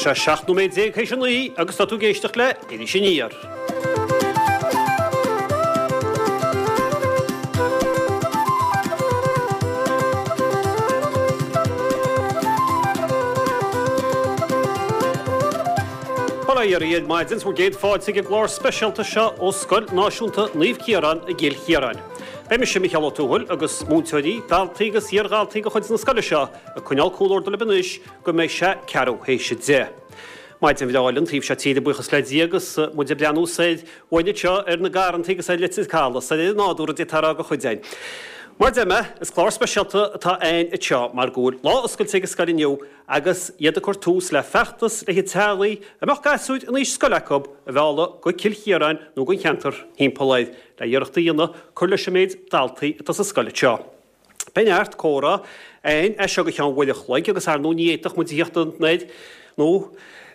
sé 17 nóiméad théis a 9 agus tá tú ag éisteacht le Iris Aniar. Bail ó Dhia oraibh ar maidin, 's bhur gcéad fáilte ag an gclár speisialta seo ó Scoil Náisiúnta Naomh Ciarán i gCill Chiaráin. Beidh mise, Micheál Ó Tuathail, agus múinteoirí, daltaí agus iar-dhaltaí de chuid na scoile seo ag coinneáil comhluadar libh anois go mbeidh sé ceathrú théis a 10. Maidin bhreá an taobh seo tíre, buíochas le Dia, agus muid ag breathnú soir uainn anseo ar na garrantaí agus ar Leitir Caladh, soir ar an nádúr a d'fhéadfá a rá do chuid againn. Mar a deir mé, is clár speisialta atá againn anseo mar go bhfuil lá oscailte ag an scoil inniu agus iad ag cur tús le feachtas le haghaidh teaghlaigh a mbeadh gasúir in aois scoile acu a mhealladh go Cill Chiaráin nó don cheantar thimpeall air le iarracht a dhéanamh cur leis an méid daltaí atá sa scoil anseo. Beidh neart comhrá againn as seo go ceann uair a chloig agus ar ndóigh ní fhéadfadh muid a thíocht anoir nó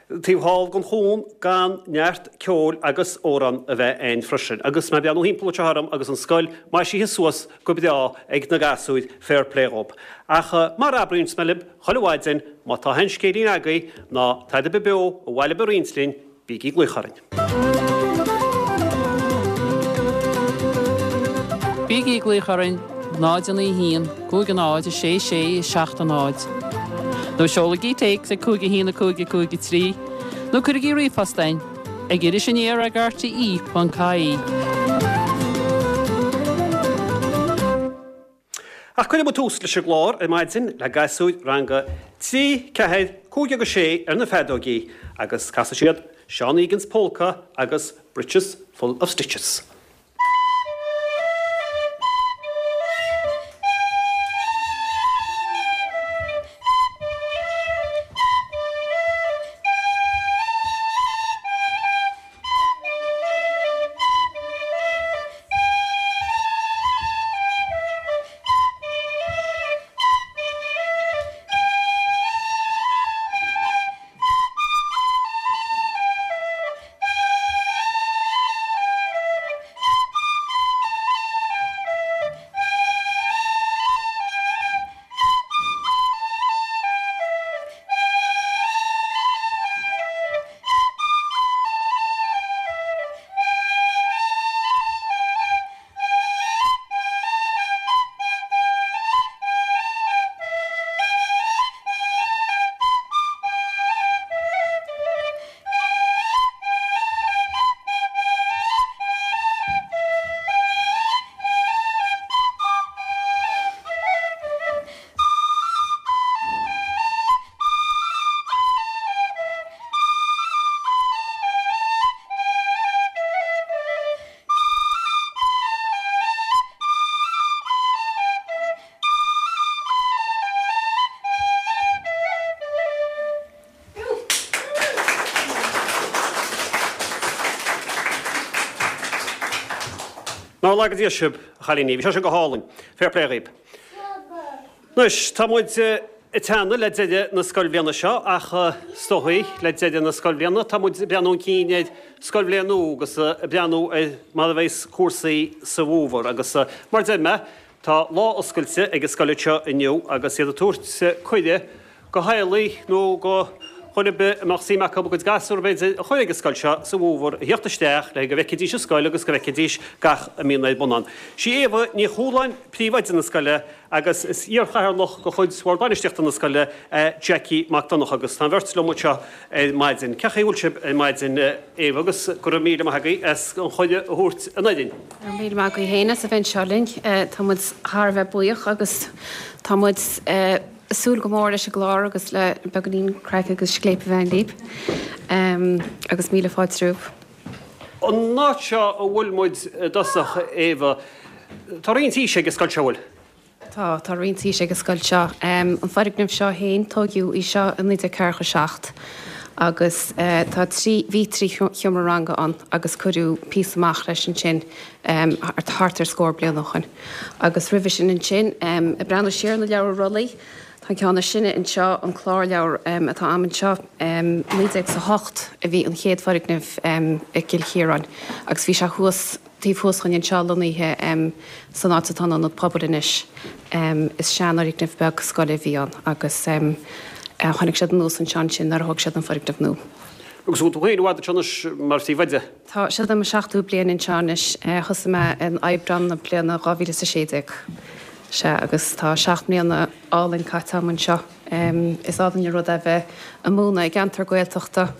taobh thall den chuan gan neart ceoil agus amhrán a bheith againn freisin. Agus mé ag breathnú thimpeall anseo orm agus an scoil maisithe suas go breá ag na gasúir, fair play dhób. Ach mar a abraíonns mé libh chuile mhaidin, má tá aon scéilín agaibh ná tada ar bith beo ar mhaith libh a roinnt linn, Bígí ag glaoch orainn. Bígí ag glaoch orainn 0 9 1 5 0 6 6 7 0 nó seolaigí téacs ag 5 1 5 5 3 nó cuirigí ríomhphost chugainn ag irisaniar ag rte.ie. Ach cuirfidh muid tús leis an gclár ar maidin le gasúir ranga 3, 4, 5 agus 6 ar na feadóigí agus casfaidh siad Seán Egan's Polka agus Breeches Full of Stitches. Nár laga Dia sibh, a chailíní. Bhí sé sin go hálainn. Fair play dhaoib. Anois, tá muid ag teannadh le deireadh na scoilbhliana seo ach is dóigh le deireadh na scoilbhliana tá muid ag breathnú chun cinn ar scoilbhliain nua agus ag breathnú ar mar a bheas cúrsaí sa bhfómhar agus mar a deir mé tá lá oscailte ag an scoil anseo inniu agus iad ag tabhairt cuireadh go theaghlaigh nó go dhuine ar bith a mbeadh suim acu a gcuid gasúr b'fhéidir a chur ag an scoil seo sa bhfómhar a thíocht isteach le go bhfeicfidís an scoil agus go bhfeicfidís gach a mbíonn ar bun ann. Sí Éabha Ní Chualáin príomhoide na scoile agus is iarchathaoirleach de chuid Bhord Bainistíochta na scoile é Jackie Mac Donncha agus tá an bheirt liom anseo ar maidin. Cén chaoi a bhfuil sibh ar maidin Éabha agus go raibh míle maith agaibh as an chuireadh a thabhairt anoir dhúinn. Go raibh míle maith agaibh féin as a bheith anseo linn. Tá muid thar a bheith buíoch agus tá muid ag súil go mór leis an gclár agus le beagáinín craic agus scléip a bheith againn libh. Agus míle fáilte romhaibh. An áit seo a bhfuil muid i dtosach, Éabha, tá roinnt aoise ag an scoil seo, an bhfuil? Tá, tá roinnt aoise ag an scoil seo. An foirgneamh seo féin, tóigeadh í seo i 1947 agus tá trí, bhí trí sheomra ranga ann agus cuireadh píosa amach leis ansin thart ar scór bliain ó shoin. Agus roimhe sin ansin, ag breathnú siar ar na leabhra rollaí, Tá an ceann is sine anseo, an clárleabhar atá a'm anseo, 1908 a bhí an chéad foirgneamh i gCill Chiaráin agus bhí sé thuas, taobh thuas dhúinn anseo lonnaithe san áit atá an Ionad Pobail anois. Is seanfhoirgneamh beag scoile a bhí ann agus. Tháinig siad anuas anseo ansin nuair a thóg siad an foirgneamh nua. Agus an bhfuil tú féin i bhfad anseo anois mar phríomhoide? Tá, seo é mo seachtú bliain anseo anois. Thosaigh mé in Aibreán na bliana 2016. Sea, agus tá 7 mbliana álainn caite agam anseo. Is álainn an rud é bheith ag múineadh i gceantar Gaeltachta.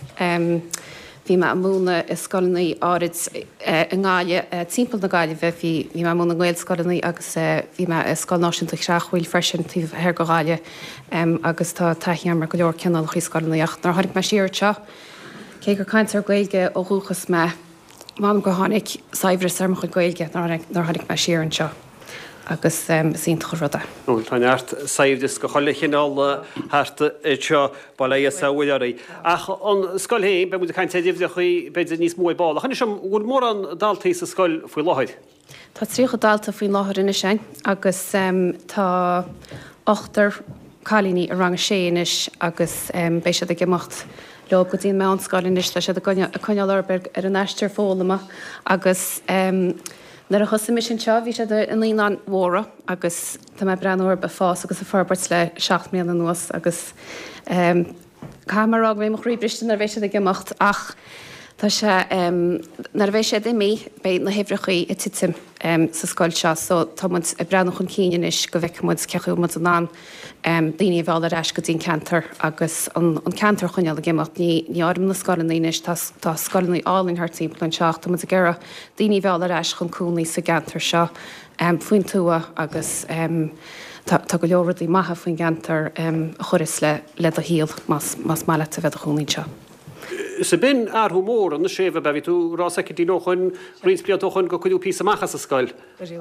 Bhí mé ag múineadh i scoileanna áirid i nGaillimh, timpeall na Gaillimhe. Bhí mé ag múineadh i nGaelscoileanna agus bhí mé i Scoil Náisiúnta Chreachmhaoil freisin taobh thoir de Ghaillimh agus tá taithí agam ar go leor cineálacha scoileanna. Ach nuair a tháinig mé siar anseo, cé gur cainteoir Gaeilge ó dhúchas mé, M'anam gur tháinig saibhreas ar mo chuid Gaeilge nuair a tháinig mé siar anseo agus is iontach an rud é. Bhuel, tá neart saibhreas de chuile chineál thart anseo, bail ó Dhia 's ó Mhuire oraibh. Ach an scoil féin, beidh muid ag caint ar uimhreachaí b'fhéidir níos mó ar ball. Ach inis dom, an bhfuil mórán daltaí sa scoil faoi láthair? Tá 30 dalta faoin láthair anois againn agus tá ochtar cailíní i rang a sé anois agus beidh siad ag imeacht leo go dtí an meánscoil anois. Tá siad ag coinneáil orthu ar an aistear foghlama agus nuair a thosaigh mise anseo bhí siad i naíonáin mhóra agus tá mé ag breathnú orthu ag fás agus ag forbairt le 7 mbliana anuas agus Caithfidh mé a rá go mbeidh mo chroí briste nuair a bheidh siad ag imeacht ach tá sé, nuair a bheidh siad imithe beidh na huimhreachaí ag titim sa scoil seo so tá muid ag breathnú chun cinn anois go bhfeicfidh muid cé chaoi a bhfuil muid in ann daoine a mhealladh ar ais go dtí an ceantar agus an ceantar a choinneáil ag imeacht. Ní ní áirim na scoileanna anois, tá tá scoileanna álainn thart timpeall anseo ach tá muid ag iarraidh daoine a mhealladh ar ais chun cónaí sa gceantar seo. faoin tuath agus tá go leor rudaí maithe faoin gceantar a chuireas le do shaol más maith leat a bheith i do chónaí anseo. Sea, b'in athrú mór anois é, bhí tú ag rá soicindín ó shoin, roinnt blianta ó shoin gur cuireadh píosa amach as an scoil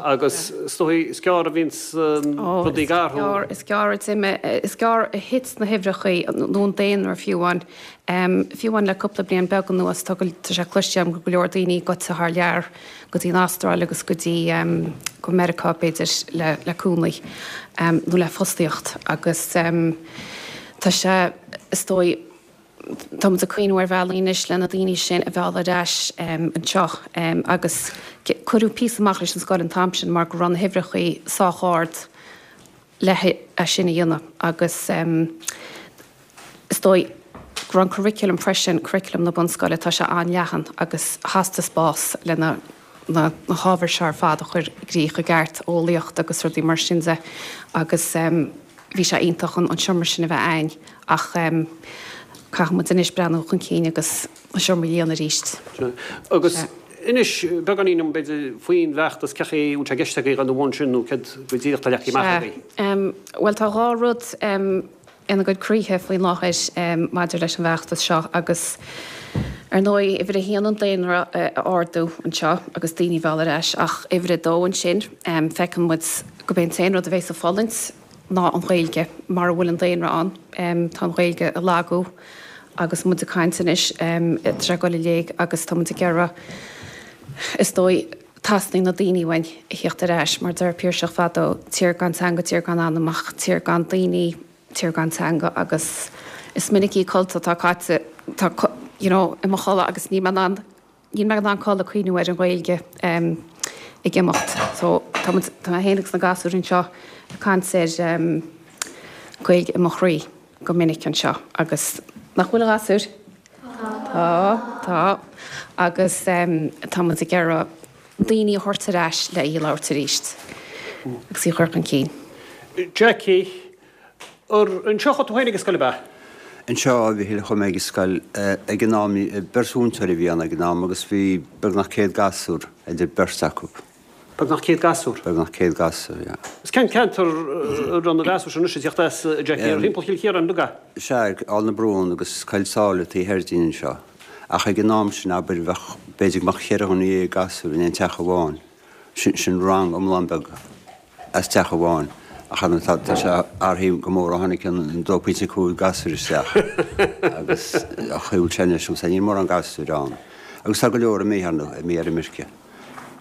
agus is dóigh is gearr a bhíonns rudaí ag athrú. Is gearr a d'imigh, is gearr a thit na huimhreachaí nó an daonra fiú amháin. Fiú amháin le cúpla bliain beag anuas tá sé cloiste agam go go leor daoine gaibhte thar lear. go dtí an Astráil agus go dtí go Meiriceá b'fhéidir le le cónaí nó le fostaíocht agus tá sé is dóigh tá muid ag cuimhniú ar bhealaí anois le na daoine sin a mhealladh ar ais anseo agus cuireadh píosa amach leis an scoil an t-am sin mar go raibh na huimhreachaí sách ard le é sin a dhéanamh agus is dóigh go raibh an curriculum freisin, curriculum na bunscoile, tá sé an-leathan agus theastaigh spás le na na hábhair seo ar fad a chur i gcrích i gceart, eolaíocht agus rudaí mar sin de agus bhí sé iontach an seomra sin a bheith a'ainn ach caithfidh muid anois breathnú chun cinn agus an seomra a líonadh arís. Agus inis beagáinín dom, b'fhéidir, faoin bhfeachtas, cé chaoi a bhfuil sé i gceist agaibh dul ina bhun sin nó céard go díreach atá leagtha amach agaibh? Sea. Bhuel, tá 2 rud ina gcuid croíthe faoin láthair maidir leis an bhfeachtas seo agus, ar ndóigh, uimhir a haon an daonra a ardú anseo agus daoine a mhealladh ar ais ach uimhir a dó ansin, feiceann muid gurb é an t-aon rud a bheas ag fulaingt ná an Ghaeilge. Mara bhfuil an daonra ann, tá an Ghaeilge ag lagú agus muid ag caint anois, tá sé ag dul i léig agus tá muid ag iarraidh, is dóigh, teastaíonn na daoine uainn a thíocht ar ais, mar deir Piarsach fadó, tír gan teanga, tír gan anam, ach tír gan daoine, tír gan teanga agus is minic oíche codlata atá caite, tá, you know, i mo chodladh agus níl mé in ann, níl mé in ann codladh ag cuimhniú ar an Ghaeilge ag imeacht. So tá muid, tá mé féin agus na gasúir anseo ag caint ar Gaeilge i mo chroí go minic anseo agus nach bhfuil a ghasúir? Tá, tá. Agus tá muid ag iarraidh daoine a thabhairt ar ais le í a labhairt arís agus í a chur chun cinn. Jackie, Ar anseo a chuaigh tú féin ag an scoil ab ea? Anseo, a Mhichíl, a chuaigh mé ag an scoil. Ag an am, beirt mhúinteoir a bhí ann ag an am agus bhí beagnach 100 gasúr idir beirt acu. Beagnach 100 gasúr? Beagnach 100 gasúr, yeah. Is cén ceantar a raibh na gasúir sin anois ag tíocht as, a Jackie? Ar thimpeall Chill Chiaráin uilig ea? Sea, Aill na Brún agus Coill Sáile taobh thoir dínn anseo. Ach ag an am sin, abair, bheadh, b'fhéidir go mbeadh cheithre dhuine dhéag gasúr in aon teach amháin. Sin, sin rang iomlán beag as teach amháin. Ach ar ndóigh tá, tá sé athraithe go mór ó tháinig an 2.5 gasúir isteach. Agus a chaoi a bhfuil sé anois, níl mórán gasúir ann. Agus tá go leor imithe, ar ndóigh, imithe ar imirce.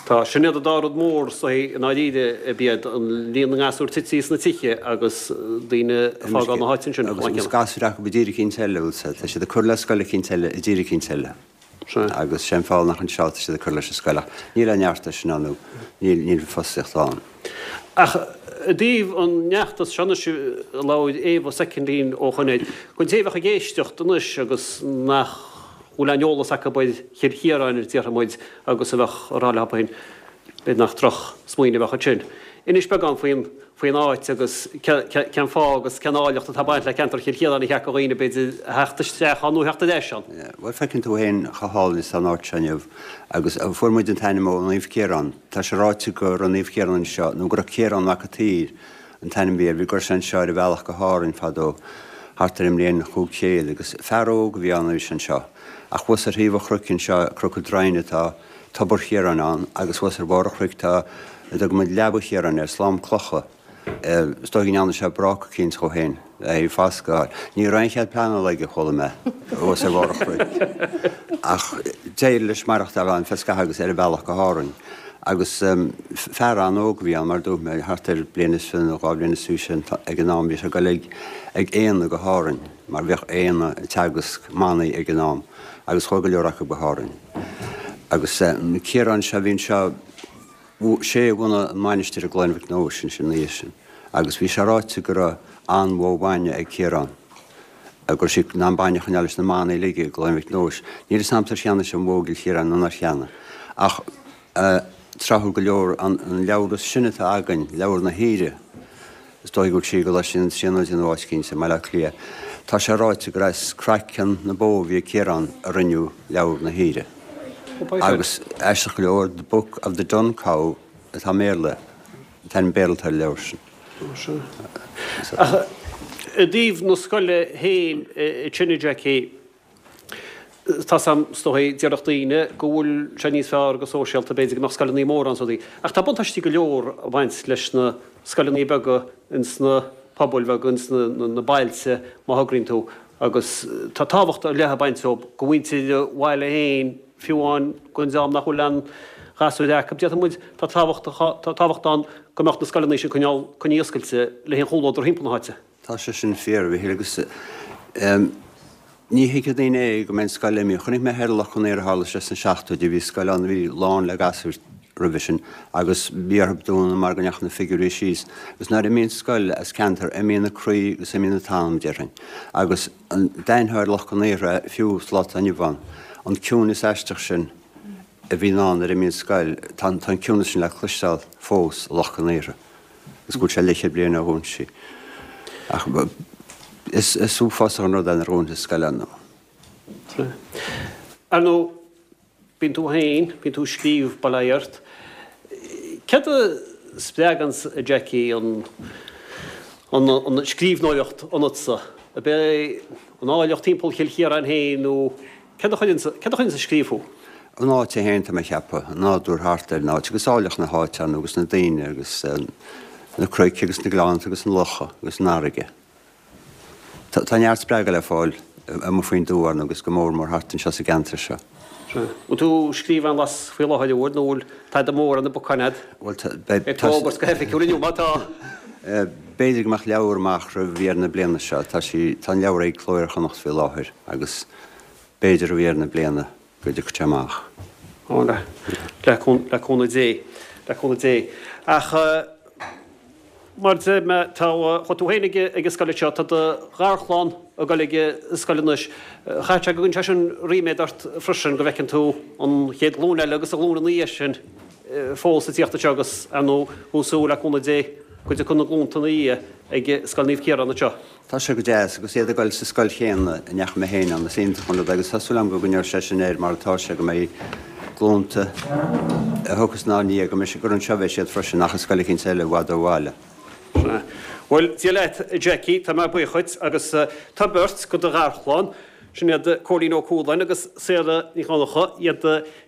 Tá, sin iad an dá rud mór is dóigh i ndáiríre, ab iad an líon na ngasúr tite sna tithe agus daoine ag fágáil na háite ansin chomh maith Agus céanna. gasúir acu i dtír eicínt eile, bhfuil 's a'd, tá siad ag cur le scoil eicínt eile i dtír eicínt eile. Sea. Agus sé an fáth nach anseo atá siad ag cur leis an scoil ach níl aon neart leis sin ann nó níl, níl fostaíocht ann. Ach. I dtaobh an fheachtais seo anois a labhair Éabha soicind linn ó shoin air, don té a bheadh ag éisteacht anois agus nach bhfuil aon eolas acu ar Chill Chiaráin, a déarfaidh muid, agus a bheadh ag rá leo féin, b'fhéidir nach droch smaoineamh a bheadh ansin. Inis beagán faoin faoin áit agus cén fáth agus cén áilleacht atá ag baint le ceantar Chill Chiaráin a cheart do dhaoine b'fhéidir a theacht isteach ann nó a theacht ar ais ann. Bhuel feiceann tú féin chomh hálainn is atá an áit seo inniu agus fuair muid an t-ainm ó Naomh Ciarán. Tá sé ráite go raibh Naomh Ciarán anseo nó go raibh Ciarán Mac an tSaoir an t-ainm a bhí air. Bhí go raibh sé anseo ar a bhealach go hÁrainn fadó thart ar an mbliain 500 agus fear óg a bhí ann a bhí sé anseo. Ach thuas ar thaobh an chnoic anseo, Cnoc an Droighne tá Tobar Chiaráin ann agus thuas ar bharr an chnoic tá a dtugann muid Leaba Chiaráin air, slám clocha. Is dóigh go ndearna sé bráca eicínt dhó féin le haghaidh foscadh a fháil. Ní raibh aon chead pleanála aige, chuala mé, thuas ar bharr an chnoic. Ach d'éirigh leis maireachtáil ann feadh scaithimh agus ar a bhealach go hÁrainn. Agus fear an-óg a bhí ann, mar a dúirt mé, thart ar bliain is nó dhá bhliain is fiche ag an am. Bhí sé ag dul ag aíonna go hÁrainn, mar bhíodh aíonna ag teagasc manaigh ag an am, agus chuaigh go leor acu go hÁrainn. Agus Ciarán seo, bhí anseo, sé a bhunaigh an mhainistir i gCloich Mhic Nóis ansin ina dhiaidh sin. Agus bhí sé ráite go raibh an-bhó bainne ag Ciarán, go raibh sí in ann bainne a choinneáil leis na manaigh uilig i gCloich Mhic Nóis. Níl a fhios a'msa ar cheannaigh sé an bhó i gCill Chiaráin nó nár cheannaigh. Ach tráthúil go leor, an leabhar is sine atá againn, Leabhar na hAoire, Is dóigh go bhfuil sí i gColáiste na Tríonóide nó áit eicínt i mBaile Átha Cliath. Tá sé ráite gur as craiceann na bó a bhí ag Ciarán a rinneadh Leabhar na hAoire. Agus aisteach go leor, The Book of the Dun Cow atá i mBéarla, an t-ainm Béarla atá ar an leabhar sin. Ach i dtaobh na scoile féin ansin a Jackie, Tá's a'm, is dóigh, déarfadh daoine go bhfuil sé níos fearr go sóisialta b'fhéidir go mbeadh scoileanna móra ann is rudaí. Ach tá buntáistí go leor ag baint leis na scoileanna beaga ins na pobail bheaga, ins na bailte má thograíonn tú. Agus tá tábhacht ar leith ag baint leo do mhuintir an bhaile féin, fiú amháin don dream nach bhfuil aon ghasúir acu. Déarfaidh muid, tá tábhacht, tá tábhacht ann go mbeadh na scoileanna sin coinneáil, coinnithe oscailte le haghaidh an chomhluadar thimpeall na háite. Tá sé sin fíor, a Mhichíl, agus ní thuigfidh daoine é go mbeidh an scoil imithe. Chonaic mé thoir i Loch Con Aortha, tharla sé sna seachtóidí, bhí scoil ann a bhí lán le gasúir roimhe sin agus bhí orthu dúnadh mar go ndeachaigh na figiúirí síos. Agus nuair a imíonn scoil as ceantar, imíonn a croí agus imíonn a t-anam, déarfainn. Agus d'aithneofá ar Loch Con Aortha fiú sa lá atá inniu ann, an ciúineas aisteach sin a bhíonn ann nuair a imíonn scoil, tá an ciúineas sin le cloisteáil fós i Loch Con Aortha. Is go bhfuil sé leathchéad bliain ó dhún sí. Ach is uafásach an rud é nuair a dhúntar scoil ar ndóigh. Ar ndóigh, bíonn tú féin, bíonn tú ag scríobh, bail ó Dhia ort. Céard a spreaganns, a Jackie, an an scríbhneoireacht ionatsa? Ab é an áilleacht timpeall Chill Chiaráin féin nó Céard a chuireanns, céard a chuireanns ag scríobh thú? An áit é féin, tá mé ag ceapadh, an nádúr thart ar an áit agus áilleacht na háite ann agus na daoine agus na cnoic agus na gleannta agus na locha agus an fharraige. Tá neart spreagadh le fáil amuigh faoin dtuath ann agus go mór mór thart anseo sa gceantar seo. Sea. Bhfuil tú ag scríobh aon bhlas faoi láthair, an bhfuil, nó bhfuil tada mór ar na bacáin agat? Bhuel, tá, beidh, Beidh tú á fhógairt go hoifigiúil inniu má tá. B'fhéidir go mbeadh leabhar amach roimh dheireadh na bliana seo. Tá sí, tá an leabhar ag Cló Iar-Chonnacht faoi láthair agus b'fhéidir roimh dheireadh na bliana go dtiocfaidh sé amach. Ó, le, le le cúnamh Dé, le cúnamh Dé. Ach mar a deir mé, tá, chuaigh tú féin ag, ag an scoil anseo, tá do gharchlann ag dul ag an scoil anois. Chaithfeadh sé go gcuireann sé sin ríméad ort freisin go bhfeiceann tú an chéad ghlúin eile agus an ghlúin ina dhiaidh sin fós ag tíocht anseo agus, ar ndóigh, tú ag súil le cúnamh Dé go dtiocfaidh na glúnta ina dhiaidh ag Scoil Naomh Ciarán anseo. Tá sé go deas, agus iad ag dul sa scoil chéanna a ndeachaigh mé féin ann, is iontach an rud é agus tá súil agam go gcoinneoidh sé sin air mar atá sé, go mbeidh glúnta a thiocfas inár ndiaidh, go mbeidh sé, gur anseo a bheidh siad freisin, nach i scoil eicínt eile i bhfad ó bhaile. Sea. Bhuel, Dia leat, a Jackie, tá mé buíoch dhuit agus tá beirt de do gharchlann, sin iad Cóilín Ó Cualáin agus Sarah Ní Dhonncha, iad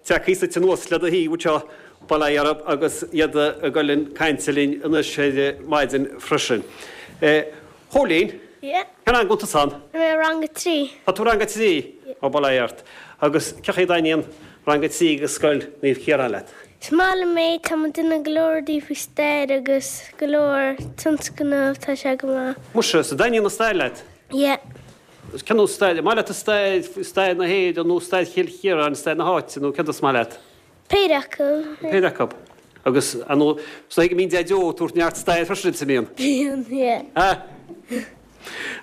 tagtha suite anuas le do thaobh anseo, bail ó Dhia orthu agus iad ag dul chun cainte linn anois ar maidin freisin. Chóilín, Yeah. Cén rang a bhfuil tusa ann? Tá mé i rang a 3. Tá tú i rang a 3? Yeah. Ó, bail ó Dhia ort. Agus cén chaoi a dtaitníonn rang a 3 ag Scoil Naomh Ciarán leat? Is maith liom é, tá muid ag déanamh go leor rudaí faoi stair agus go leor tionscnamh, tá sé go maith. Muise, so dtaitníonn an stair leat? Yeah. Cén nós stair? An maith leat an stair, stair na hÉireann nó stair Chill Chiaráin, stair na háite nó céard is maith leat? Péire acu. Péire acu. Agus, ar ndóigh, is dóigh go mbíonn Deaideo ag tabhairt neart stair freisin duit, an mbíonn? Bíonn, yeah. Ha!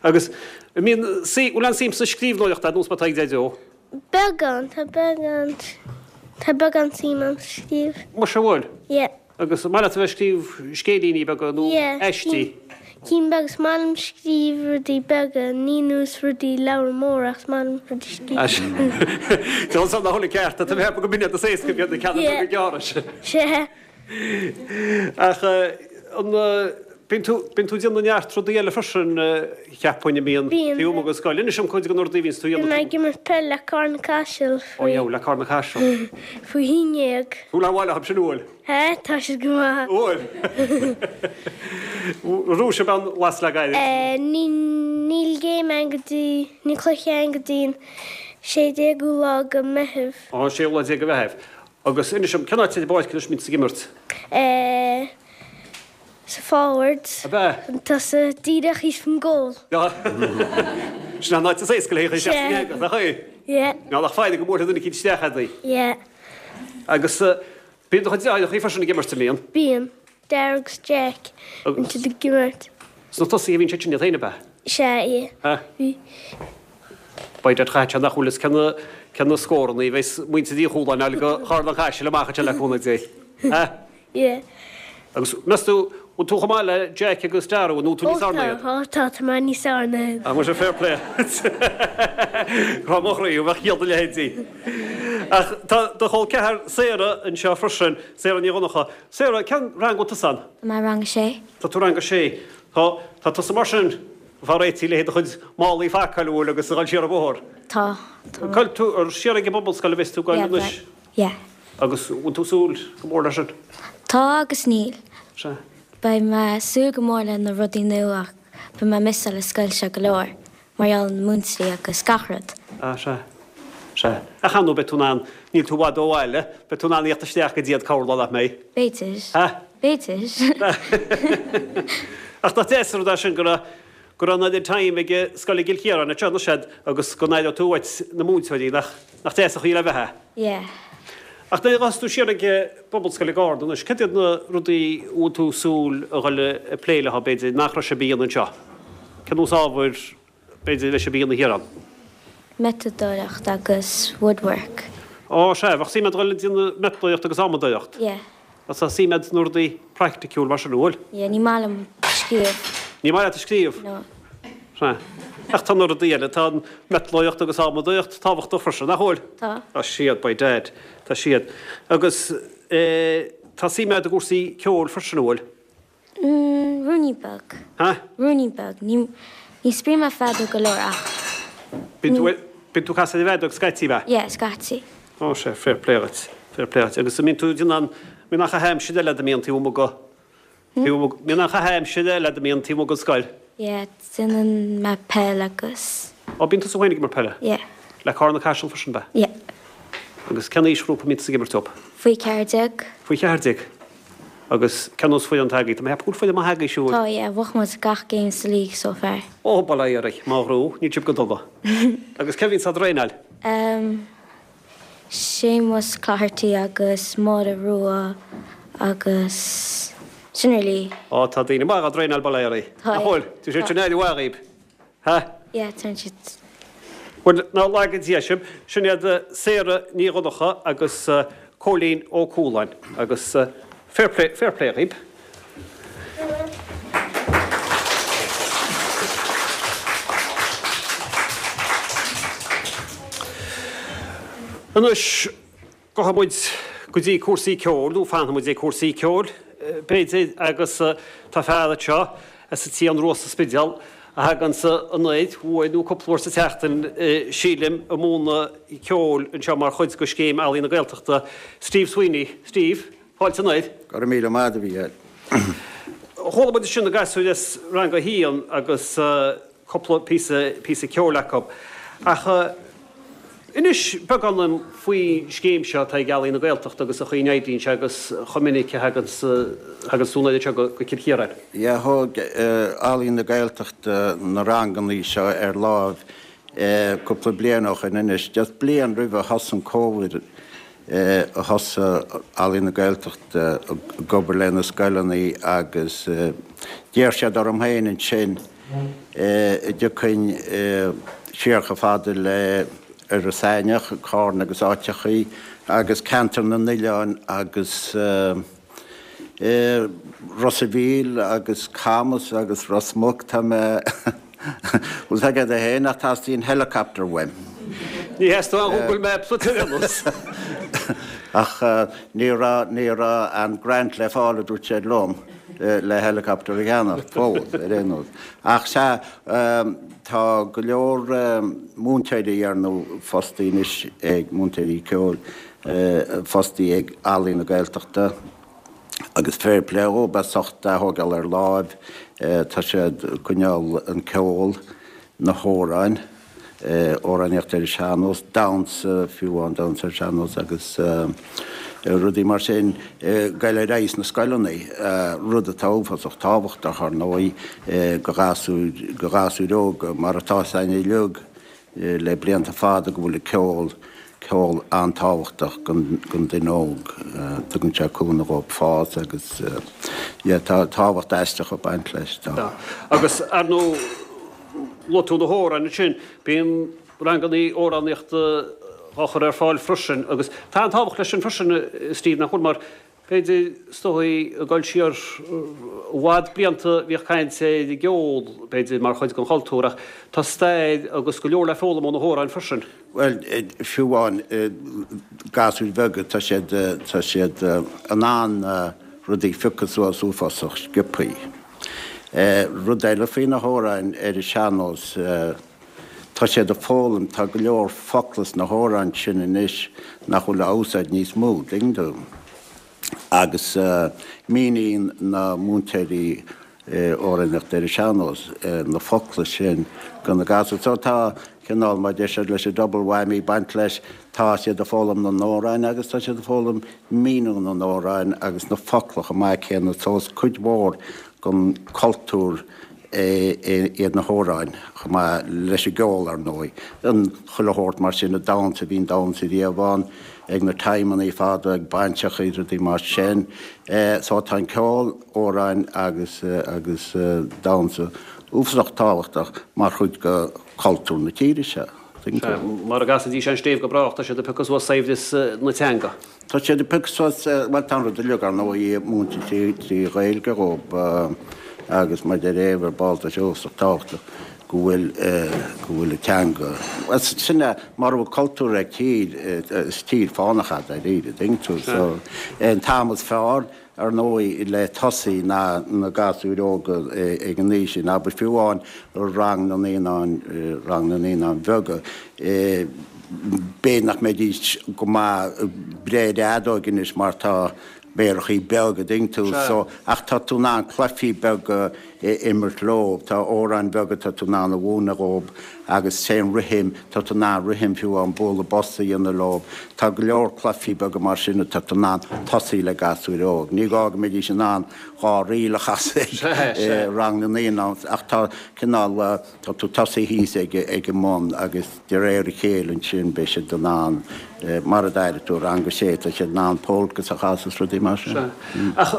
Agus, an mbíonn, bhfuil aon suim sa scríbhneoireacht agat, nós mar atá ag Deaideo? Beagán, tá beagán, tá beagán suim a'm sa scríobh. Muise, bhfuil? Yeah. Agus an maith leat a bheith ag scríobh scéilíní beaga nó aistí? Yeah, cinn beaga, is maith liom scríobh rudaí beaga, ní nós rudaí leabhar mór ach is maith liom rudaí scríobh. Tá san nach bhfuil ceart, tá mé ag ceapadh go mb'in iad is éasca b'iad na ceanna beaga gearra sin. Sea. Ach an bíonn tú, bíonn tú ag déanamh neart rudaí eile freisin, cheapfainn, a mbíonn Bíonn. taobh amuigh den scoil. Inis dom cuid de na rudaí a bhíonns tú a Bíonn dhéanamh. mé ag imirt peil le Carna Caiseal Ó faoi. yeah, le Carna Caiseal. Faoi haon dhéag. Bhfuil an bhaile acu sin, bhfuil? Hé, tá siad go maith. Bhfuil? Rúis ab an las le gairid. Ní, níl game ann go dtí, níl cluiche ann go dtí an 16ú lá de Meitheamh. Ó, an séú lá déag de Mheitheamh. Agus inis dom, cén áit ar an bpáirc anois a mbíonn tú ag imirt? Eh, sa forward. Ab ea? Chun tosaigh, díreach thíos faoin gcúl. Sin an áit is éasca le haghaidh isteach san eangach, nach é? Yeah. Níl ach foighid go mbuailfidh duine eicínt isteach a'd í. Yeah. Agus Bíonn do chuid deartháireachaí freisin ag imirt, an mbíonn? Bíonn. Dara agus Jack. Bíonn siad ag imirt. Sna tosaithe a bhíonn siad sin iad féin, ab ea? Sea, yeah. Ha? Bhí. By dad chaithfeadh sé nach bhfuil fhios cé na, cé na scórannaí a bheas muintir Uí Chualáin a fháil go Charna Caiseal amach anseo le cúnamh Dé. Ha? Yeah. Agus meas tú, bhfuil tú chomh maith le Jack agus Dara, nó tú níos Ó fearr ná tá, iad? ó tá, tá mé níos fearr ná iad. Ah, muise, fair play. Grá mo chroí, bheadh ciall do leithéidí. Ach tá do chol ceathar Sarah anseo freisin, Sarah Ní Dhonncha. Sarah, cén rang a bhfuil tusa ann? Tá mé i rang a sé. Tá tú rang a sé. Tá, tá tusa mar sin, ag fáil réitithe le do chuid málaí a phacáil, an bhfuil, agus a dhul siar an bóthar. Tá, tá. Cá bhfuil tú, ar siar ag an bpobalscoil a bheas tú ag goil Yeah, anois? Yeah. Agus bhfuil tú ag súil go mór leis sin? Tá agus níl. Sea. Beidh mé ag súil go mór le na rudaí nua ach beidh mé ag missáil an scoil seo go leor mar gheall ar na múinteoirí agus gach rud. Ah, sea. Sea. Ach ar ndóigh beidh tú in ann, níl tú i bhfad ó bhaile, beidh tú in ann a thíocht isteach go dtí iad corrlá nach mbeidh? B'fhéidir. Ha? B'fhéidir. Ach nach deas an rud é sin go raibh, go raibh an oiread time ag scoil i gCill Chiaráin anseo anois a'd agus go n-aireodh tú uait na múinteoirí, nach, nach deas an chaoi le bheith é? Yeah. Ach nuair a ghabhfas tú siar ag Pobalscoil i gCarna anois, cad iad na rudaí a bhfuil tú ag súil a dhul ag plé leo, b'fhéidir, nach raibh sibh a dhéanamh anseo? Cén nós ábhair, b'fhéidir, a bheidh sibh a dhéanamh thiar ann? Miotalóireacht agus woodwork. Ó, sea, bheadh suim a'd dhul ag déanamh miotalóireacht agus adhmadóireacht? Yeah. Tá suim a'd sna rudaí praiticiúil mar sin, an bhfuil? Yeah, ní maith liom scríobh. Ní maith leat a scríobh? No. Sea. Ach tá na rudaí eile, tá an miotalóireacht agus adhmadóireacht tábhachtach freisin, nach bhfuil? Tá. Tá siad, by dad, tá siad. Agus eh, tá suim a'd i gcúrsaí ceoil freisin, an bhfuil? Mm, ruainnín beag. Ha? Ruainnín beag. Ní, ní spraoim mé feadóg go leor ach. Bíonn tú, bíonn tú ag casadh ar an bhfeadóg scaití, ab ea? Yeah, scaití. Ó, sea, fair play dhuit. Fair play dhuit. Agus an mbíonn tú ag déanamh, mbíonn aon chaitheamh aimsire eile a'd a mbíonn taobh amuigh go, taobh amuigh, mbíonn aon chaitheamh aimsire eile a'd a mbíonn taobh amuigh den scoil? Yeah, déanann mé peil agus. Ó, bíonn tusa féin ag imirt peile? Yeah. Le Carna Caiseal freisin, ab ea? Yeah. Agus cén aoisghrúpa a mbíonn tusa ag imirt dóibh? Faoi 14. Faoi 14. Agus cén nós foireann atá agaibh? Tá mé ag ceapadh go bhfuil foireann maith agaibh siúd. Tá, yeah, bhuaigh muid gach game sa league so far. Ó, bail ó Dhia oraibh, mo ghrá, níl sibh go dona. Agus cé a bhíonns á dtraenáil? Em, Séamus Cloherty agus Máire Rua agus sin really. Ó, tá daoine maith á dtraenáil, bail ó Dhia oraibh. Tá, Nach yeah. bhfuil? Tá siad sin aire mhaith dhaoib. Ha? Yeah, tá siad. Bhuel, ná laga Dia sibh. Sin iad Sarah Ní Dhonncha agus Cóilín Ó Cualáin agus fair play, fair play dhaoib. Anois, Gabhfaidh muid go dtí cúrsaí ceoil, nó fanfaidh muid ag cúrsaí ceoil, b'fhéidir, agus tá fear anseo as an tSian Rua sa Spidéal a thaganns anoir uair nó cúpla uair sa tseachtain, sílim, ag múineadh ceoil anseo mar chuid de Scéim Ealaíon na Gaeltachta. Steve Sweeney. Steve, fáilte anoir. Go raibh míle maith agat, a Mhícheáil. Chuala muid ansin na gasúir as Rang a hAon agus. cúpla píosa, píosa ceoil acu. Ach inis beagán dom faoin scéim seo atá ag Ealaín na Gaeltachta agus an chaoi a n-oibríonn sé agus chomh minic a thaganns, thaganns tú anoir anseo go Cill Chiaráin. Yeah, thóg Ealaín na Gaeltachta na rangannaí seo ar láimh cúpla bliain ó shoin anois, just bliain roimh a thosaigh an Covid. Thosaigh Ealaín na Gaeltachta ag obair le na scoileanna agus d'iarr siad orm féin ansin an dtiocfainn siar chomh fada le Iorras Aithneach, Carna agus áiteachaí agus Ceantar na nOileán agus Ros a' Mhíl agus Camas agus Ros Muc, tá mé, bhfuil 's agat féin ach teastaíonn helicopter uaim. Ní theastóidh ach Google Maps uait ar aon nós. Ach ní raibh, ní raibh an grant le fáil a dúirt siad liom le helicopter a cheannach, fós, ar aon nós. Ach sea, tá go leor múinteoirí ar ndóigh fostaí anois ag múinteoirí ceoil, fostaí ag Ealaín na Gaeltachta agus fair play dhóibh as ucht é a thógáil ar láimh. Tá siad ag coinneáil an ceol, na hamhráin, amhránaíocht ar an sean-nós, damhsa, fiú amháin damhsa ar an sean-nós agus rudaí mar sin ag goil ar aghaidh sna scoileanna, rud atá uafásach tábhachtach ar ndóigh go ghasúir, go ghasúir óga mar atá 'fhios againn uilig. le blianta fada go bhfuil an ceol, ceol an-tábhachtach don duine óg. Tugann sé cúnamh dhóibh fás agus yeah tá tábhacht aisteach ag baint leis. Tá. Agus ar ndóigh luaigh tú na hamhráin ansin, bíonn ranganna amhránaíochta á chur ar fáil freisin agus tá an-tábhacht leis sin freisin a Steve nach bhfuil mar B'fhéidir, is dóigh, ag dul siar i bhfad blianta bhíodh caint ar an gceol, b'fhéidir, mar chuid den chultúr ach tá stair agus go leor le foghlaim ó na hamhráin freisin. Bhuel, fiú amháin gasúir bheaga, tá siad, tá siad in ann rudaí a phiocadh suas uafásach sciobthaí. Rud eile faoi na hamhráin ar an sean-nós, Tá siad ag foghlaim, tá go leor focla sna hamhráin sin anois nach bhfuil á úsáid níos mó, dtuigeann tú. Agus míníonn na múinteoirí amhránaíochta ar an sean-nós na focla sin do na gasúir. So tá cineál, mar a deir siad leis an double whammy ag baint leis, tá siad ag foghlaim na n-amhrán agus tá siad ag foghlaim míniú na n-amhrán agus na focla chomh maith céanna. So is cuid mhór den cultúr iad na hamhráin, chomh maith leis an gceol, ar ndóigh. An chuile shórt mar sin, an damhsa, bhí an damhsa riamh ann, ag na timeannaí fada, ag bainseachaí, rudaí mar sin. So tá an ceol, amhráin agus agus damhsa uafásach tábhachtach mar chuid de chultúr na tíre seo. Sea, mara gcasaidís an stéibh go brách, tá siad ag piocadh suas saibhreas na teanga. Tá siad ag piocadh suas, bhuel tá an rud uilig ar ndóigh múinte trí Ghaeilge dhóibh agus mar deir Éabha ar ball tá sé uafásach tábhachtach go bhfuil, go bhfuil an teanga, bhuel sin é, mura bhfuil cultúr ag tír, is tír fánach é dáiríre, dtuigeann tú, so an t-am is fearr Ar ndóigh, le tosaí ná na gasúir óga ag an aois sin, abair fiú amháin rang na naíonáin, rang na naíonáin bheaga, b'fhéidir nach mbeidís go maith ag breith ar an fheadóig anois mar tá méarachaí beaga, dtuigeann tú, so, ach tá tú in ann cluichí beaga a imirt leo, tá amhráin bheaga tá tú in ann a mhúineadh dhóibh agus sé an rithim, tá tú in ann rithim fiú amháin bualadh bos a dhéanamh leo, tá go leor cluichí beaga mar sin atá tú in ann tosaí le gasúir óg. Ní gá go mbeidís in ann dhá ríl a chasadh ag rang na naíonán ach tá cineál, tá tú tosaí thíos ag an mbun agus. De réir a chéile ansin beidh siad in ann, mar a d'airigh tú, rang a sé, tá siad in ann polcas a chasadh is rudaí mar sin. Sea. Ach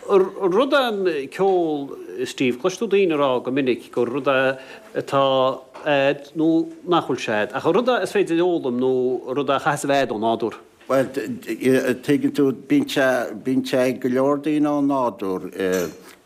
rud é an ceol, Steve, cloiseann tú daoine ag rá go minic gur rud é atá a'd nó nach bhfuil sé a'd. Ach an rud é is féidir a fhoghlaim nó rud é a chaithfeas a bheith a'd ó nádúr? Bhuel, tuigeann tú, bíonn sé, bíonn sé ag go leor daoine ó nádúr.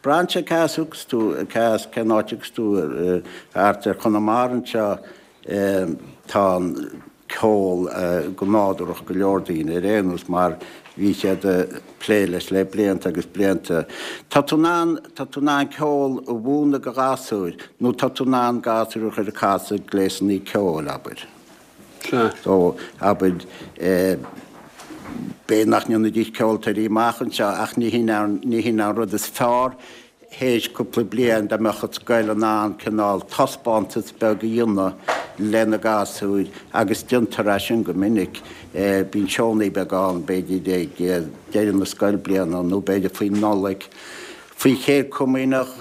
Braitheann sé cá as a thiocfas tú, cá as, cén áit a thiocfas tú, thart ar Chonamara anseo, Tá an ceol go nádúrach ag go leor daoine ar aon nós mar bhí siad ag plé leis le blianta agus blianta. Tá tú in ann, tá tú in ann ceol a mhúineadh do ghasúir nó tá tú in ann gasúir a chur ag casadh gléasanna ceoil, abair. So, abair, b'fhéidir nach ndéanfaidís ceoltóirí amach anseo ach ní hin ní hin an rud is fearr théis cúpla bliain dá mbeadh an scoil in ann cineál taispeántas beag a dhéanamh le na gasúir agus déantar é sin go minic. Bíonn seónna beaga ann b'fhéidir ag deireadh na scoilbliana nó b'fhéidir faoin Nollaig. Faoi Chéad Chomaoineach,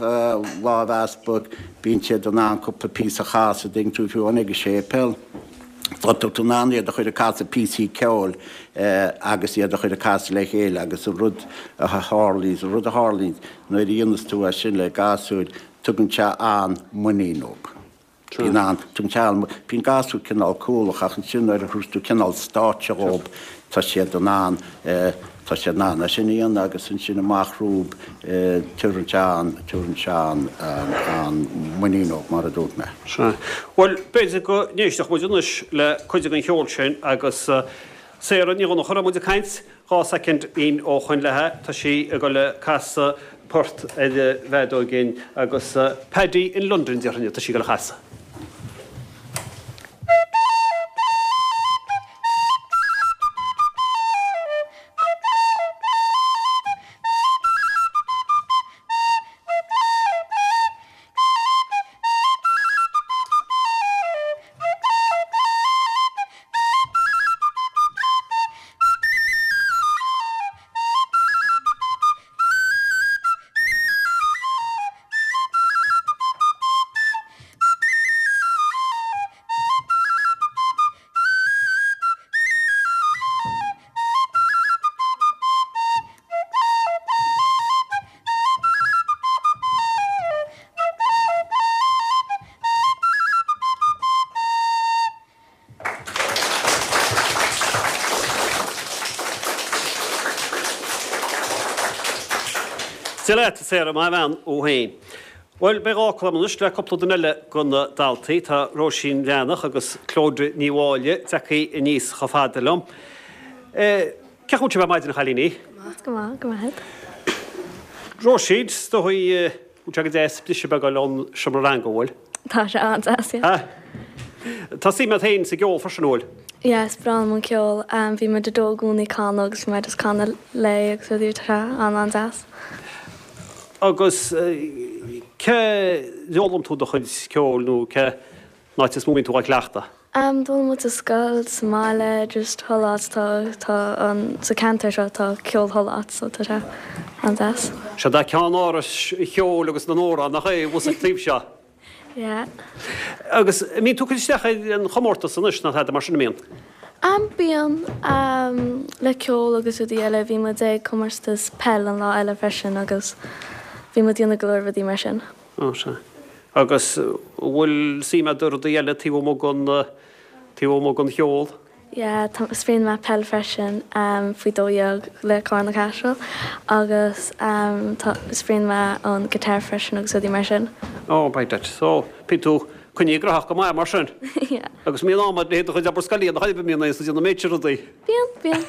Lámh Easpaig, bíonn siad in ann cúpla píosa a chasadh, dtuigeann tú, fiú amháin ag an séipéal. Tá tú in ann iad a chur ag casadh píosaí ceoil agus iad a chur ag casadh le chéile agus an rud a tharlaíonns, an rud a tharlaíonns nuair a dhéanas tú é sin le gasúir, tugann sé an-muinín dóibh. Bíonn an, tugann sé an, bíonn gasúir cineál cúthalach ach ansin nuair a thabhras tú cineál stáitse dhóibh tá siad in ann, tá siad in ann é sin a dhéanamh agus ansin amach rompu tabharann sé an, tabharann sé an, an muinín dóibh mar a dúirt mé. Sea. Bhuel, b'fhéidir go n-éistfeadh muid anois le cuid den cheol sin agus Sarah Ní Dhonncha a raibh muid ag caint 2 soicind ó shoin léi, tá sí ag dul a casadh port ar an bhfeadóg dhúinn agus Paddy in London déarfainn atá sí ag dul a chasadh. Dia leat, a Sarah, maith an bhean thú féin. Bhuel, beidh dhá fhocal agam anois le cúpla duine eile de na daltaí. Tá Róisín Bhreathnach agus Clodagh Ní Mháille tagtha aníos chomh fada liom. Cén chaoi a bhfuil sibh ar maidin, a chailíní? Go maith, go maith. Róisín, is dóigh Bhfuil sé go deas briseadh beag a fháil ón seomra ranga, an bhfuil? Tá sé an-deas, yeah. Tá suim agat féin sa gceol freisin, an bhfuil? Yeah, is breá liom an ceol. Bhí mo Daideo i gcónaí ag canadh agus bhí mé just ag canadh léi agus rudaí, tá sé an-an-deas. Agus cé d'fhoghlaim tú do chuid ceoil nó cén áit is mó a mbíonn tú á cleachtadh? D'fhoghlaim muid sa scoil, sa mbaile, just chuile áit tá, tá an, sa ceantar seo tá ceol chuile áit so tá sé an-deas. Sea, tá ceannáras an cheoil agus na n-amhrán, nach é, thuas an taobh seo? Yeah. Agus an mbíonn tú ag cur isteach ar an chomórtas anois nó tada mar sin, an mbíonn? Bíonn, le ceol agus rudaí eile, bhí muid ag comórtas peil an lá eile freisin agus bhí muid ag déanamh go leor rudaí mar sin. Ó, sea. Agus an bhfuil suim agat i rudaí eile taobh amuigh den, taobh amuigh den cheol? Yeah, tá, spraíonn mé peil freisin, faoi 12 le Carna Caiseal agus tá, spraíonn mé an guitar freisin agus rudaí mar sin. Ó, by that. So, bíonn tú coinnithe graitheach go maith mar sin. Yeah. Agus mbíonn am agat le do chuid obair scoile a dhéanamh, an mbíonn aon déanamh méid sin rudaí? Bíonn, bíonn.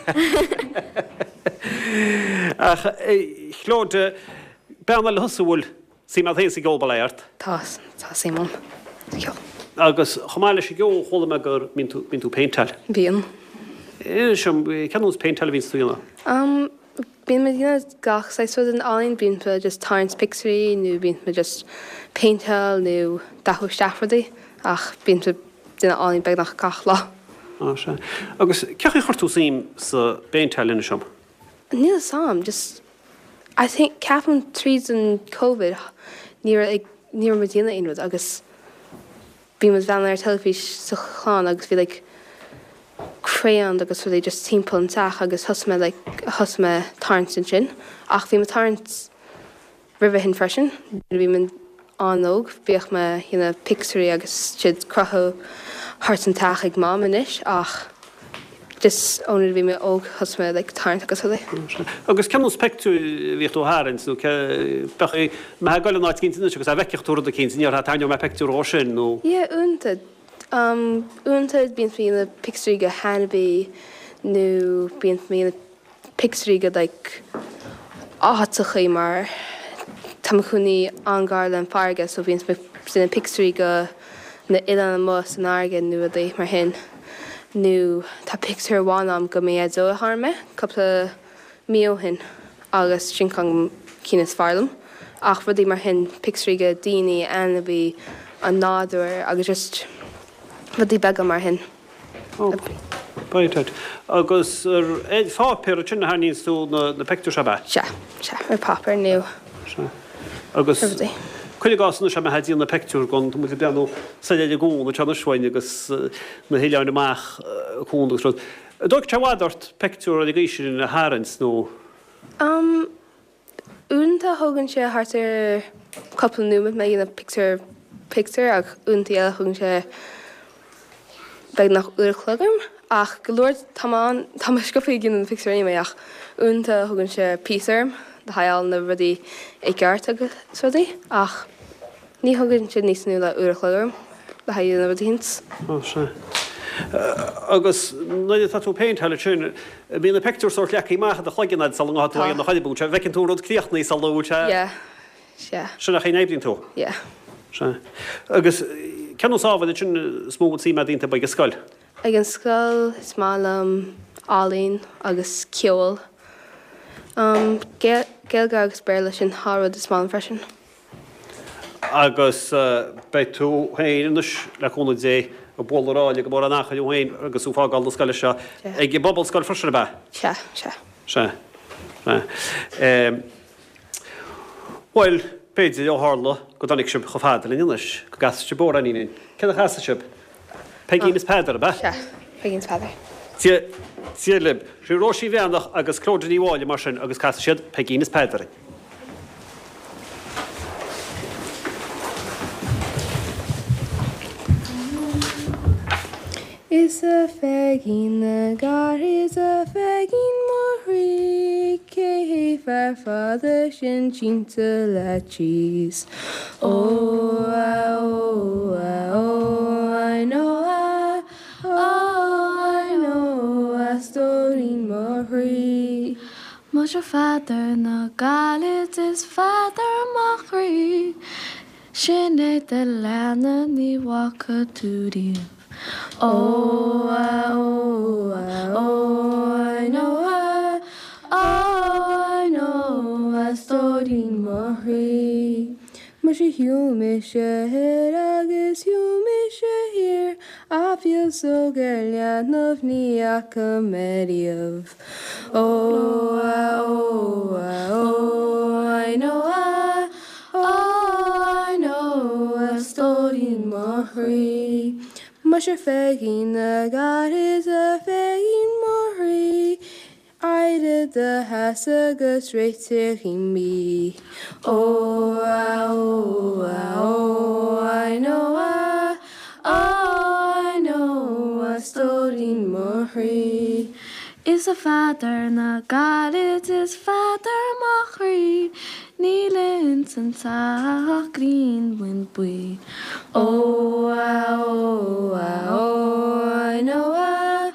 Ach, a Chlodagh, bean eile thusa a bhfuil Suim agat féin sa gceol, bail ó Dhia ort. Tá, tá suim agam sa cheol. Agus chomh maith leis an gceol, chuala mé go mbíonn tú, bíonn tú ag péinteáil. Bíonn. Inis dom, cén nós péinteáil a bhíonns tú a dhéanamh? Um, bíonn mé ag déanamh gach saghas rud in ealaín, bíonn mé just tarraingt pictiúirí nó bíonn mé just péinteáil nó dathú isteach rudaí ach bíonn mé déanamh ealaín beagnach gach lá. Á, sea. Agus cén chaoi a chuir tú suim sa bpéinteáil, inis dom? Níl fhios a'm, just I think, ceapaim tríd an Covid ní raibh ag, ní raibh muid ag déanamh aon rud agus bhí muid ag breathnú ar teilifís sa chlann agus bhí like crayons agus rudaí just timpeall an teach agus thosaigh mé like, thosaigh mé tarraingt ansin ach bhí mé tarraingt Roimhe shin freisin, nuair a bhí mé an-óg, bhíodh mé ag déanamh pictiúirí agus siad crochadh thart an teach ag Mam anois ach just ó nuair a bhí mé óg thosaigh mé like tarraingt agus rudaí. Agus cén nós pictiúir a bhíodh tú a tharraingt nó cé, bheadh mé ag goil in áit eicínt anois agus dá bhfeicfeadh tú rud eicínt, an ndéarfá tarraingeoidh mé pictiúr dhó sin nó? Yeah, uaireanta. Um, uaireanta bíonn mé ag déanamh pictiúirí de ainmhí nó bíonn mé ag déanamh pictiúirí de like áiteachaí mar tá mo chónaí an-gar le an farraige so bíonn mé déanamh pictiúirí de na oileáin amuigh san fharraige nó rudaí mar shin nó tá pictiúr amháin a'm de mo Dhaideo a tharraing mé cúpla mí ó shin agus sin ceann de na cinn is fearr liom ach rudaí mar shin pictiúirí de daoine, ainmhí, an nádúr agus just rudaí beaga mar shin. Ó, right, right. Agus ar pháipéar ansin a tharraingíonns tú na pictiúir seo, ab ea? Sea, sea, ar páipéar nó Sea. Agus rudaí. Cuir i gcás anois mé ag déanamh peictiúr gon, tá muid ag breathnú soir ar an gcuan anseo anois uainn agus na hoileáin amach an cuan agus rud. An dtóigfeadh sé i bhfad ort peictiúr ar an gcaoi sin a tharraingt nó? Umm, uaireanta thógann sé thart ar cúpla nóiméad mé a dhéanamh pictiúr pictiúr ach uaireanta eile thógann sé beagnach uair a chloig orm ach go leor tá mé an tá mé sciobtha ag déanamh na pictiúir anyway ach uaireanta thógann sé píosa orm le haghaidh fháil na rudaí i gceart agus rudaí ach ní thógann sé níos mó ná uair a chloig orm le haghaidh na rudaí thíos. Ó sea. Agus nuair atá tú ag péinteáil ansin, bíonn na pictiúir sórt leagtha amach i do chloigeann a'd sula ngabhfaidh tú á dhéanamh chor ar bith, an bhfeiceann tú an rud críochnaithe sula bhfuil sé. Yeah. Sea. Sin an chaoi a n-oibríonn tú? Yeah. Sea. Agus cén nós ábhair ansin is mó a bhfuil suim a'd iontu ag an scoil? Ag an scoil is maith liom ealaín agus ceol. Um, Gaeilge agus Béarla sin dhá rud is maith liom freisin. Agus beidh tú féin anois, le cúnamh Dé, ag bualadh ráille gan mórán achair thú féin agus tú ag fágáil na scoile seo ag an bPobalscoil freisin, ab ea? Sea, sea. Sea. Sea. Bhuel, b'fhéidir, ó tharla go dtáinig sibh chomh fada linn anois, go gcasfaidh sibh amhráinín linn. Céard a chasfaidh sibh? Peigín is Peadar, ab ea? Sea, Peigín is Peadar. Dia, Dia libh. Sin Róisín Bhreathnach agus Clodagh Ní Mháille mar sin agus casfaidh siad Peigín is Peadar. Is a Pheigín na gcarad is a Pheigín mo chroí Cé hé fear fada sin sínte leat síos Ó a ó a ó I know a oh I know a stóirín mo chroí. Muise Pheadair na gCaillte is Pheadair mo chroí Sin é do leanna ní bhfaca tú riamh. Ó a ó a ó I know a oh I know a stóirín mo chroí. Muise shiúil mise thoir agus shiúil mise thiar ach féasóg ar leanbh ní fhaca mé riamh. Ó a ó a ó I know a Oh I know a stóirín mo chroí Muise Pheigín na gcarad is a Pheigín mo chroí Éirigh i do sheasamh agus réitigh an bia Ó a ó a ó I know a Oh I know a stóirín mo chroí. Is a Pheadair na gcarad is Pheadair mo chroí Níl ins an teach ach grianbhuíon buí. Ó a ó a ó I know a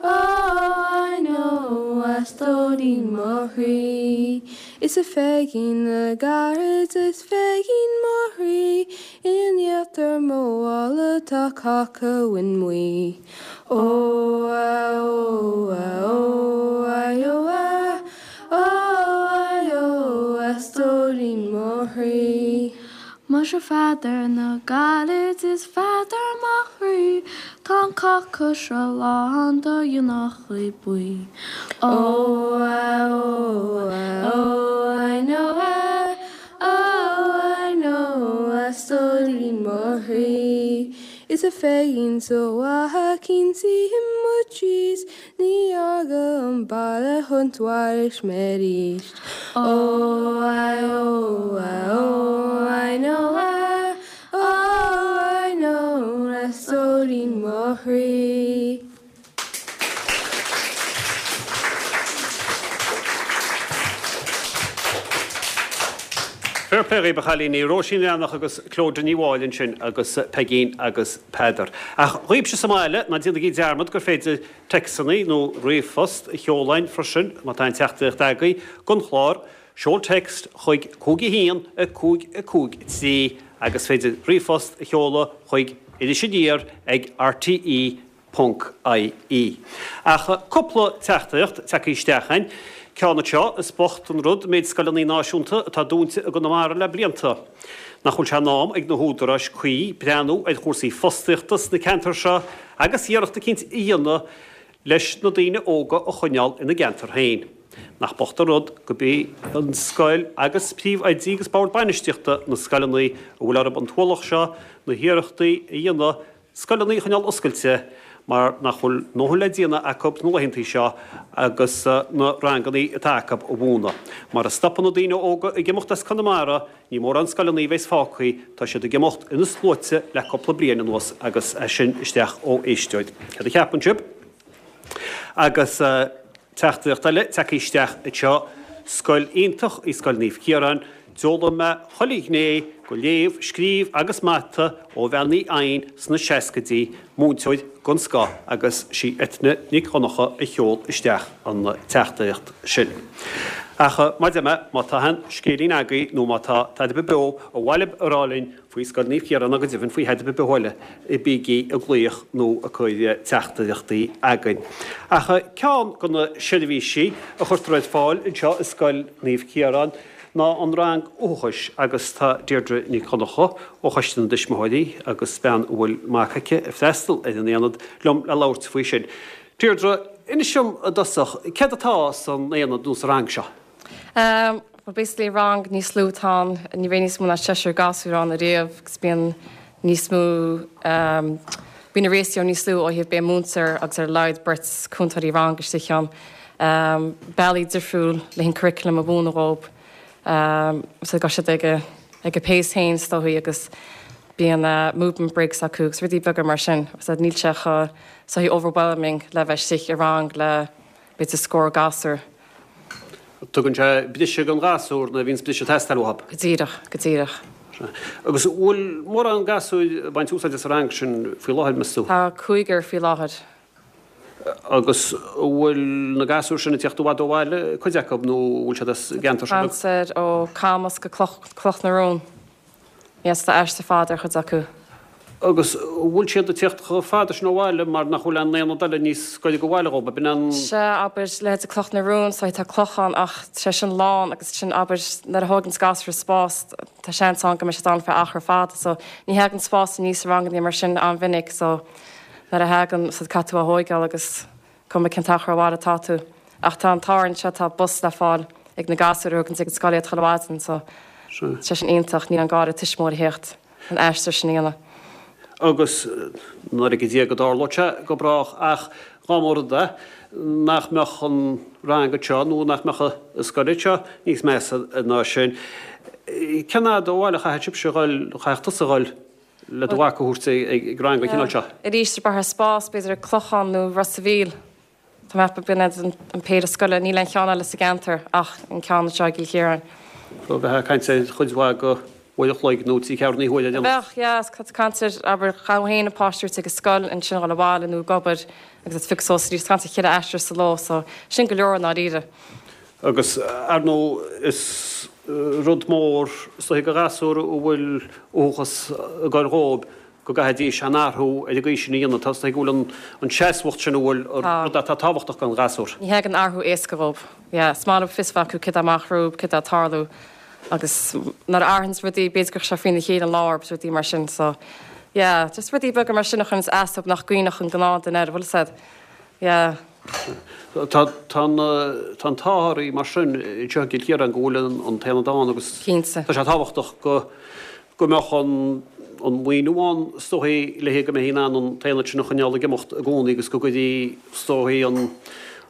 oh I know a stóirín mo chroí. Is a Pheigín na gcarad is Pheigín mo chroí In íochtar mo mhála tá cáca uin mbuí. Ó a ó a ó I ó a oh I ó a stóirín mo chroí. Muise Pheadair na gcarad is Pheadair mo chroí tá an cáca seo lán de dheonachaí buí. Ó a ó a ó I know a oh I know a stóirín mo chroí. Is a Pheigín so mhaith cinn sí i mo thís ní fhága an baile chun tuairisc mé arís. Ó I ó I ó I know I oh I know a stóirín mo chroí. Fair play dhaoibh a chailíní, Róisín Bhreathnach agus Clodagh Ní Mháille ansin agus Peigín agus Peadar. Ach dhaoibhse sa mbaile, ná déanaigí dearmad gur féidir téacsanna nó ríomhphost a sheoladh chugainn freisin má tá aon teachtaireacht agaibh don chlár. Seol text chuig 5 1 5 5 3 agus féidir ríomhphost a sheoladh chuig Iris Aniar ag rte. Ponc IE. Ach cúpla teachtaireacht tagtha isteach againn. Ceann anseo, is bocht an rud méid scoileanna náisiúnta atá dúnta i gConamara le blianta. Nach bhfuil sé in am ag na húdaráis cuí breathnú ar chúrsaí fostaíochta sna ceantair seo agus iarracht eicínt a dhéanamh leis na daoine óga a choinneáil ina gceantar féin. Nach bocht an rud gurb í an scoil agus príomhoidí agus bord bainistíochta na scoileanna a bhfuil orthu an t-ualach seo na hiarrachtaí a dhéanamh scoileanna a choinneáil oscailte mar nach bhfuil a ndóthain le déanamh acu sna laethantaí seo agus na ranganna atá acu a mhúineadh. Mara stopann na daoine óga ag imeacht as Conamara, ní mórán scoileanna a bheas fágtha, tá siad ag imeacht ina sluaite le cúpla bliain anuas agus é sin isteach ó éisteoir. Céard a cheapann sibh? Agus. Teachtaireacht eile tagtha isteach anseo, Scoil iontach í Scoil Naomh Ciarán, d'fhoghlaim mé chuile ghné de léamh, scríobh agus mata ó Bhean Uí Eidhin sna seascaidí, múinteoir den scoth agus sí Eithne Nic Dhonncha a sheol isteach an teachtaireacht sin. Ach mar a deir mé, má tá aon scéilín agaibh nó má tá tada ar bith beo ar mhaith libh a rá linn faoi Scoil Naomh Ciarán nó go deimhin faoi thada ar bith eile, bígí ag glaoch nó ag cur teachtaireachtaí againn. Ach ceann de na seirbhísí a chuirtear ar fáil anseo i Scoil Naomh Ciarán ná an rang uathachais agus tá Deirdre Nic Dhonncha ó Choiste na dTuismitheoirí agus bean a bhfuil mac aici ag freastal ar an aonad liom le labhairt faoi sin. Deirdre, inis dom i dtosach, céard atá san aonad nó sa rang seo? Bhuel basically rang níos lú atá ann, ní bheidh níos mó ná seisear gasúr ann ariamh agus bíonn níos mó, bíonn an ratio níos lú ó thaobh beidh múinteoir agus ar a laghad beirt cúntóirí ranga istigh ann. Bealaí difriúil le an curriculum a mhúineadh dhóib so gabhann siad ag a ag a pace féin is dóigh agus bíonn movement breaks acu agus rudaí beaga mar sin so níl sé chomh is dóigh overwhelming le bheith istigh i rang le b'fhéidir scór gasúr. Tugann sé briseadh don ghasúr nuair a bhíonns briseadh ag teastáil uathu. Go díreach, go díreach. Agus an bhfuil mórán gasúir ag baint úsáide as an rang sin faoi láthair, meas tú? Tá cúigear faoi láthair. Agus an bhfuil na gasúir sin ag tíocht i bhfad ó bhaile, cuid acu, nó an bhfuil siad as an gceantar seo beag? Tá ó Camas go Cloch na Rón. Yes, tá aistear fada ar chuid acu. Agus an bhfuil siad ag tíocht chomh fada sin ó bhaile mar nach bhfuil aon aonad eile níos gaire do bhaile dhóibh, ab in an. Sea, abair, leithéid Cloch na Rón, so tá Clochán ach tá sé sin lán agus sin, abair, nuair a thóganns gasúr spás, tá seans ann go mbeidh siad ann feadh achar fada so ní thagann spás aníos i ranganna mar sin an-mhinic so nuair a thagann, so caithfidh tú a thóigeáil agus. Cuma cén t-achar ó bhaile atá tú. Ach tá an t-ádh orainn anseo, tá bus le fáil ag na gasúir a thugann ag an scoil iad chuile mhaidin so tá sé sin iontach, níl an gá ar an tuismitheoir a theacht an aistear sin a dhéanamh. Agus nár laige Dia go dtarlódh sé go brách ach dá mba rud é nach mbeadh an rang anseo nó nach mbeadh an scoil anseo níos measa ná sin, cén fhad ó bhaile a chaithfidh sibhse a dhul, chaithfeadh tusa a dhul? le do mhac a thabhairt ag rang den chineál seo. Arís, ar bheadh spás, b'fhéidir ag Clochán nó Ros a' Mhíl. Tá mé ag ceapadh b'in iad an péire scoile. Níl aon cheann eile sa gceantar ach an ceann anseo i gCill Chiaráin. So bheifeá ag caint ar chuid mhaith de uair a chloig nó ceathrú na huaire ar aon nós. Bheadh, yeah. Tá tú ag caint ar, abair, ghabh féin an páiste a thabhairt ag an scoil, ansin a dhul abhaile nó ag obair agus ag piocadh suas arís. Tá tú ag caint ar cheithre aistear sa ló so sin go leor i ndáiríre. Agus, ar ndóigh, is rud mór is dóiche do ghasúr a bhfuil uathachas ag goil dhóibh go gcaithfidís an athrú ar an gcaoi sin a dhéanamh. Tá, is dóiche go bhfuil an seasmhacht sin a bhfuil rud atá tábhachtach don ghasúr. Ní thagann athrú éasca dhóibh. Yeah, is maith leo fios a bheith acu céard atá amach rompu, céard atá ag tarlú agus nuair a athraíonns rudaí, b'fhéidir go raibh sé faoina chéile an lá agus rudaí mar sin. So, yeah, just rudaí beaga mar sin a chuireanns as dóibh nach gcuimhneodh an gnáthduine air, bhfuil fhios a'd. Yeah. Tá an t-ádh oraibh mar sin anseo i gCill Chiaráin go bhfuil an t-aonad ann agus Cinnte. tá sé tábhachtach go go mbeadh an an maoiniú ann is dóichí le go mbeifí in ann an t-aonad sin a choinneáil ag imeacht i gcónaí agus go gcuirfí is dóichí an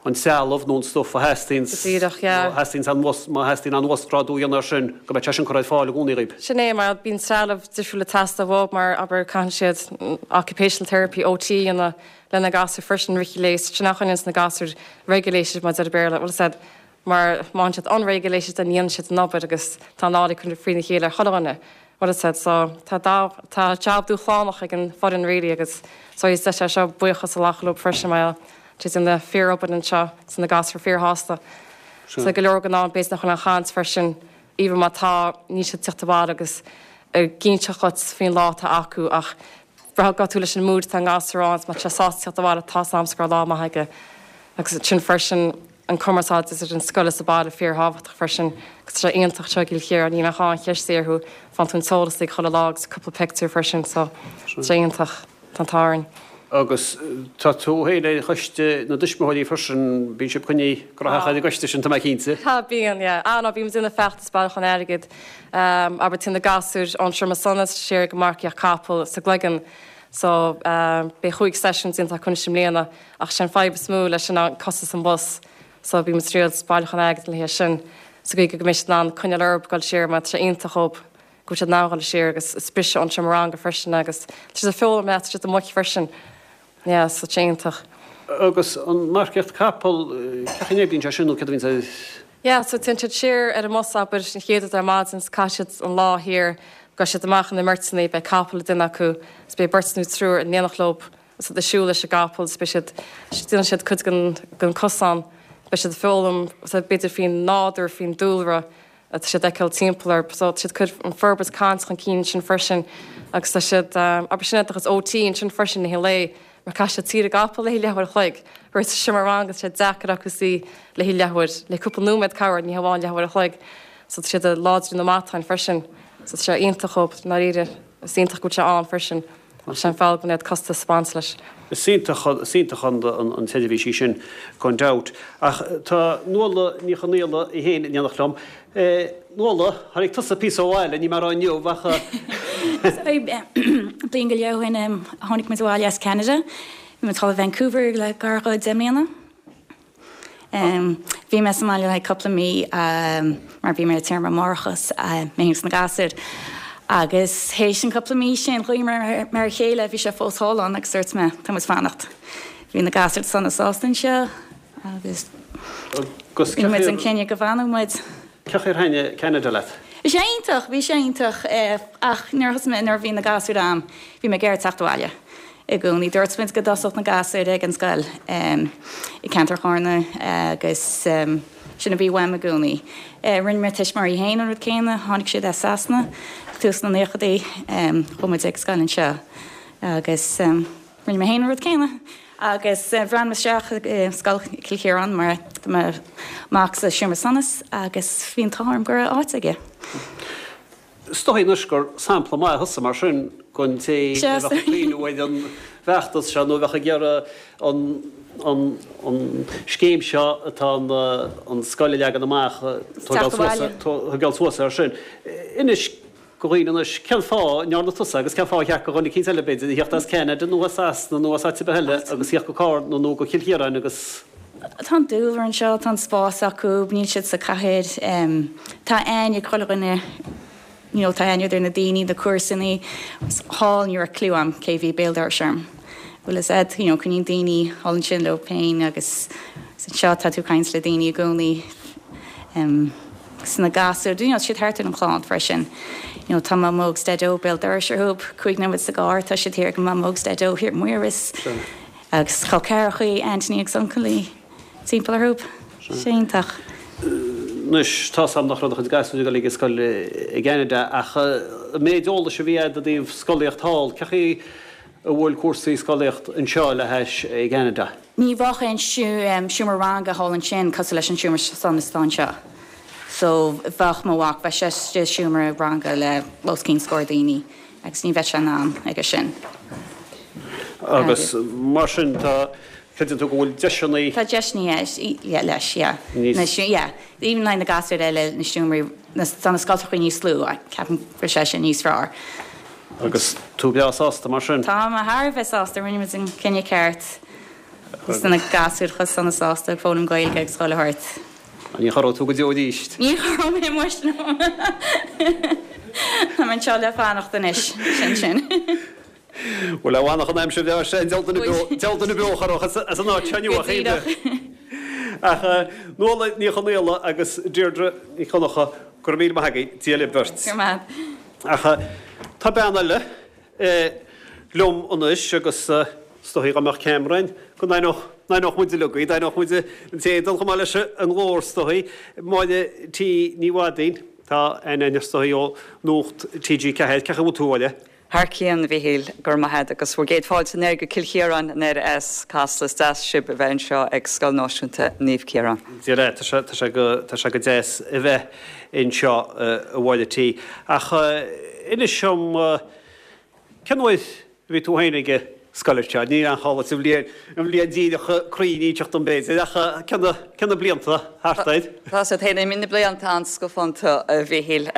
an trealamh nó an stuif a theastaíonn Go díreach, yeah. má theastaíonn an má theastaíonn an uasghrádú a dhéanamh air sin go mbeadh sé sin curtha ar fáil i gcónaí dhaoib. Sin é, mar bíonn trealamh difriúil ag teastáil uathu mar abair caitheann siad occupational therapy, OT a dhéanamh le na gasúir freisin i rith an lae, sin a choinníonns na gasúir regulated mar a deir an Béarla, bhfuil fhios a'd, mar má tánn siad unregulated then ní dhéanann siad an obair agus tá an lá curtha frína chéile ar chuile dhuine, bhfuil fhios a'd, so tá tá job dúshlánach ag an foireann really agus so is deis é seo buíochas a ghlacadh leo freisin mar tá siad ag déanamh fíor-obair anseo tá na gasúir fíorshásta. So go leor den am b'fhéidir nach bhfuil an chaint freisin even má tá níl siad ag teacht abhaile agus ag inseacht dhuit faoin lá atá acu ach Braithfidh tú leis an mood atá an gasúr ann, má tá sé sásta teacht abhaile tá 's a'msa go raibh lá maith aige. Agus sin freisin an cumarsáid idir an scoil is an baile fíor thábhachtach freisin agus tá sé iontach anseo i gCill Chiaráin, ní bheadh aon cheist orthu, faigheann tú an t-eolas ag chuile lá agus cúpla pictiúr freisin so tá sé iontach, tá an t-ádh orainn. Agus tá tú féin ar choiste na dtuismitheoirí freisin, bíonn sibh coinnithe gnóthach ar an gcoiste sin, tá mé cinnte. Tá, bíonn, yeah. Ah no, bíonn muid ag déanamh feachtas bailiúchán airgid, abair téann na gasúir ón Seomra Solais siar ag marcaíocht capall sa gCloigeann so beidh chúig seisiún déanta acu anois i mbliana ach sé an fadhb is mó leis sin ná costas an bhus so bíonn muid ag triail bailiúchán airgid le haghaidh sin sa gcaoi go mbeidh siad in ann coinneáil orthu dul siar mar tá sé iontach dhóibh. go bhfuil siad in ann dhul siar agus is briseadh ón seomra ranga freisin agus tá siad ag foghlaim leat, tá siad amuigh freisin. Yeah, so tá sé iontach. Agus an marcaíocht capall, cén chaoi a n-oibríonn sé sin nó céard a bhíonn sa. Yeah, so téann siad siar ar an mbus abair an chéad rud ar maidin is caithfidh siad an lá thiar, gabhfaidh siad amach ina mbeirteanna, beidh capall ag duine acu is beidh beirt nó triúr in éineacht leo agus iad ag siúl leis an gcapall is beidh siad, déanann siad cuid den, den cosán, beidh siad ag foghlaim b'fhéidir faoin nádúr, faoin dúlra. Tá siad ag feiceáil timpeall orthu so tá siad ag cur an forbairt cainte chun cinn ansin freisin agus tá siad, abair sin é do chuid OT ansin freisin i rith an lae mar caithfidh siad suí ar an gcapall le haghaidh leathuair a chloig whereas sa seomra ranga tá sé deacair acu suí le haghaidh leathuair, le cúpla nóiméad corruair, ní hamháin leathuair a chloig. So tá siad ag láidriú na matáin freisin so tá sé iontach dhóibh i ndáiríre, is iontach go bhfuil sé ann freisin. Ach sé an fadhb an é costas ag baint leis. Is iontach, is iontach an tseirbhís í sin gan dabht. Ach tá Nuala Ní Chonaola í féin in éineacht liom. Nuala, tháinig tusa píosa ó bhaile, ní mar inniu ach. Bliain go leith ó shin tháinig muid abhaile as Ceanada. Bhí muid thall i Vancouver le gar do 10 mbliana. Bhí mé sa mbaile le haghaidh cúpla mí mar bhí mé ar téarma máithreachais, mé féin agus na gasúir. Agus théis an cúpla mí sin, ghlaoigh mé ar a chéile, bhí sé fós thall ann agus dúirt mé, tá muid fanacht. Bhí na gasúir sona sásta anseo agus rinne muid an cinneadh go bhfanfadh muid. Cén chaoi ar thaitin Ceanada leat? Bhí sé iontach, bhí sé iontach ach nuair a thosaigh mé, nuair a bhí na gasúir a'm, bhí mé ag iarraidh teacht abhaile i gcónaí. Dúirt muid go dtosódh na gasúir ag an scoil i gceantar Chárna agus sin a bhí uaim i gcónaí. Rinne mo tuismitheoirí féin an rud céanna, tháinig siad as Sasana ag tús na naochadaí, chuaigh muid ag scoil anseo agus. Rinne mé féin an rud céanna agus bhreathnaigh mé isteach i Scoil Chill Chiaráin mar tá mo mhac sa seomra solais agus bhí an t-ádh orm go raibh áit aige. Is dóigh anois gur sampla maith thusa mar sin don té a bheadh ag cuimhneamh ar an bhfeachtas seo nó a bheadh ag iarraidh an an scéim seo atá an scoil a leagan amach tógáil suas air sin. Inis do dhaoine anois cén fáth a ndearna tusa agus cén fáth ar cheart do dhuine eicínt eile, b'fhéidir, a theacht as Ceanada nó as Sasana nó as áit ar bith eile agus theacht go Cárna nó go Cill Chiaráin agus. Tá an dúlra anseo, tá an spás acu, níl siad sa chathair, tá aithne ag chuile dhuine, you know, tá aithne idir na daoine, na comharsanaí, thall ní raibh clue a'm cé bhí béal dorais orm. Bhfuil fhios a'd, you know, coinníonn daoine thall ansin leo féin agus anseo tá tú ag caint le daoine i gcónaí. Agus na gasúir, you know, siad thart ar an chlann freisin. You know, tá Mamó agus Daideo béal dorais orthu, 5 nóiméad sa gcarr, tá siad thiar ag Mamó agus Daideo thiar i Maíros. Agus col ceathrachaí, aintíní agus uncailí timpeall orthu. Sé iontach. Anois, tá's a'm nach raibh do chuid gasúir ag dul ag an scoil i gCeanada ach an méid eolais a bhí a'd i dtaobh scolaíocht thall, cén chaoi a bhfuil cúrsaí scolaíocht anseo le hais i gCeanada? Ní bheadh aon seomra ranga thall ansin cosúil leis an seomra solais atá anseo. So bheadh mo mhac, bheadh sé istigh i seomra ranga le os cionn scór daoine agus ní bheadh sé in ann aige sin. Agus mar sin tá, creideann tú go bhfuil deiseanna. Tá deiseanna leis, yeah. Níos. Yeah. Even le na gasúir eile, na seomraí, tá na scoltachaí níos lú, ceapaim go bhfuil sé sin níos fearr. Agus tú breá sásta mar sin? Tá mé thar a bheith sásta, rinne muid an cinneadh ceart. Agus tá na gasúir chomh sona sásta ag foghlaim Gaeilge agus chuile shórt. Ní chorróidh tú go deo arís? Ní chorróidh mé muis, no. Tá mé anseo le fanacht anois, sin sin. Bhuel, a mhanach an aimsir bhreá sin, diabhal duine beo, diabhal duine beo a chorródh as an áit seo inniu ach Go díreach. Ach Nuala Ní Chonaola agus Deirdre Ní Dhonncha, go raibh míle maith agaibh, Dia libh beirt. Go raibh maith agat. Ach tá bean eile liom anois agus is dóichí dá mbeadh ceamara againn go n-aithneodh muid uilig í, d'aithneodh muid an t-éadan chomh maith leis an nglór is dóichí. Máire T. Ní Mhaidín, tá aithne againn is dóichí ó Nuacht TG4. Cén chaoi a bhfuil tú, a Mháire? Thar cionn, a Mhíchíl, go raibh maith agat agus bhur gcéad fáilte anoir go Cill Chiaráin anoir as Casla. Is deas sibh a bheith anseo ag Scoil Náisiúnta Naomh Ciarán. Dia leat, tá sé, tá sé go, tá sé go deas a bheith anseo, a Mháire T. Ach inis dom, cén uair a bhí tú féin ag. scoile seo? Níl aon chall duit an bhliain, an bhliain díreach cruinn a inseacht dom b'fhéidir, ach cé na, cé na blianta thart air? Tá sé féin, imíonn na blianta an-scafánta, a Mhíchíl.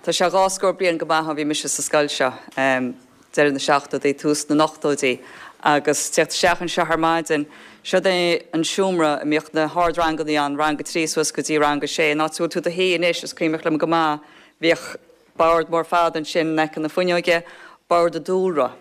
Tá sé dhá scór bliain go maith ó bhí mise sa scoil seo, deireadh na seachtóidí, tús na n-ochtóidí, agus tíocht isteach anseo ar maidin, seod é an seomra a mbíodh na hardrangannaí ann, rang a trí suas go dtí rang a sé, an áit a bhfuil tú i do shuí anois, is cuimhneach liom go maith, bhíodh bord mór fada ansin in aice na fuinneoige, bord an dúlra.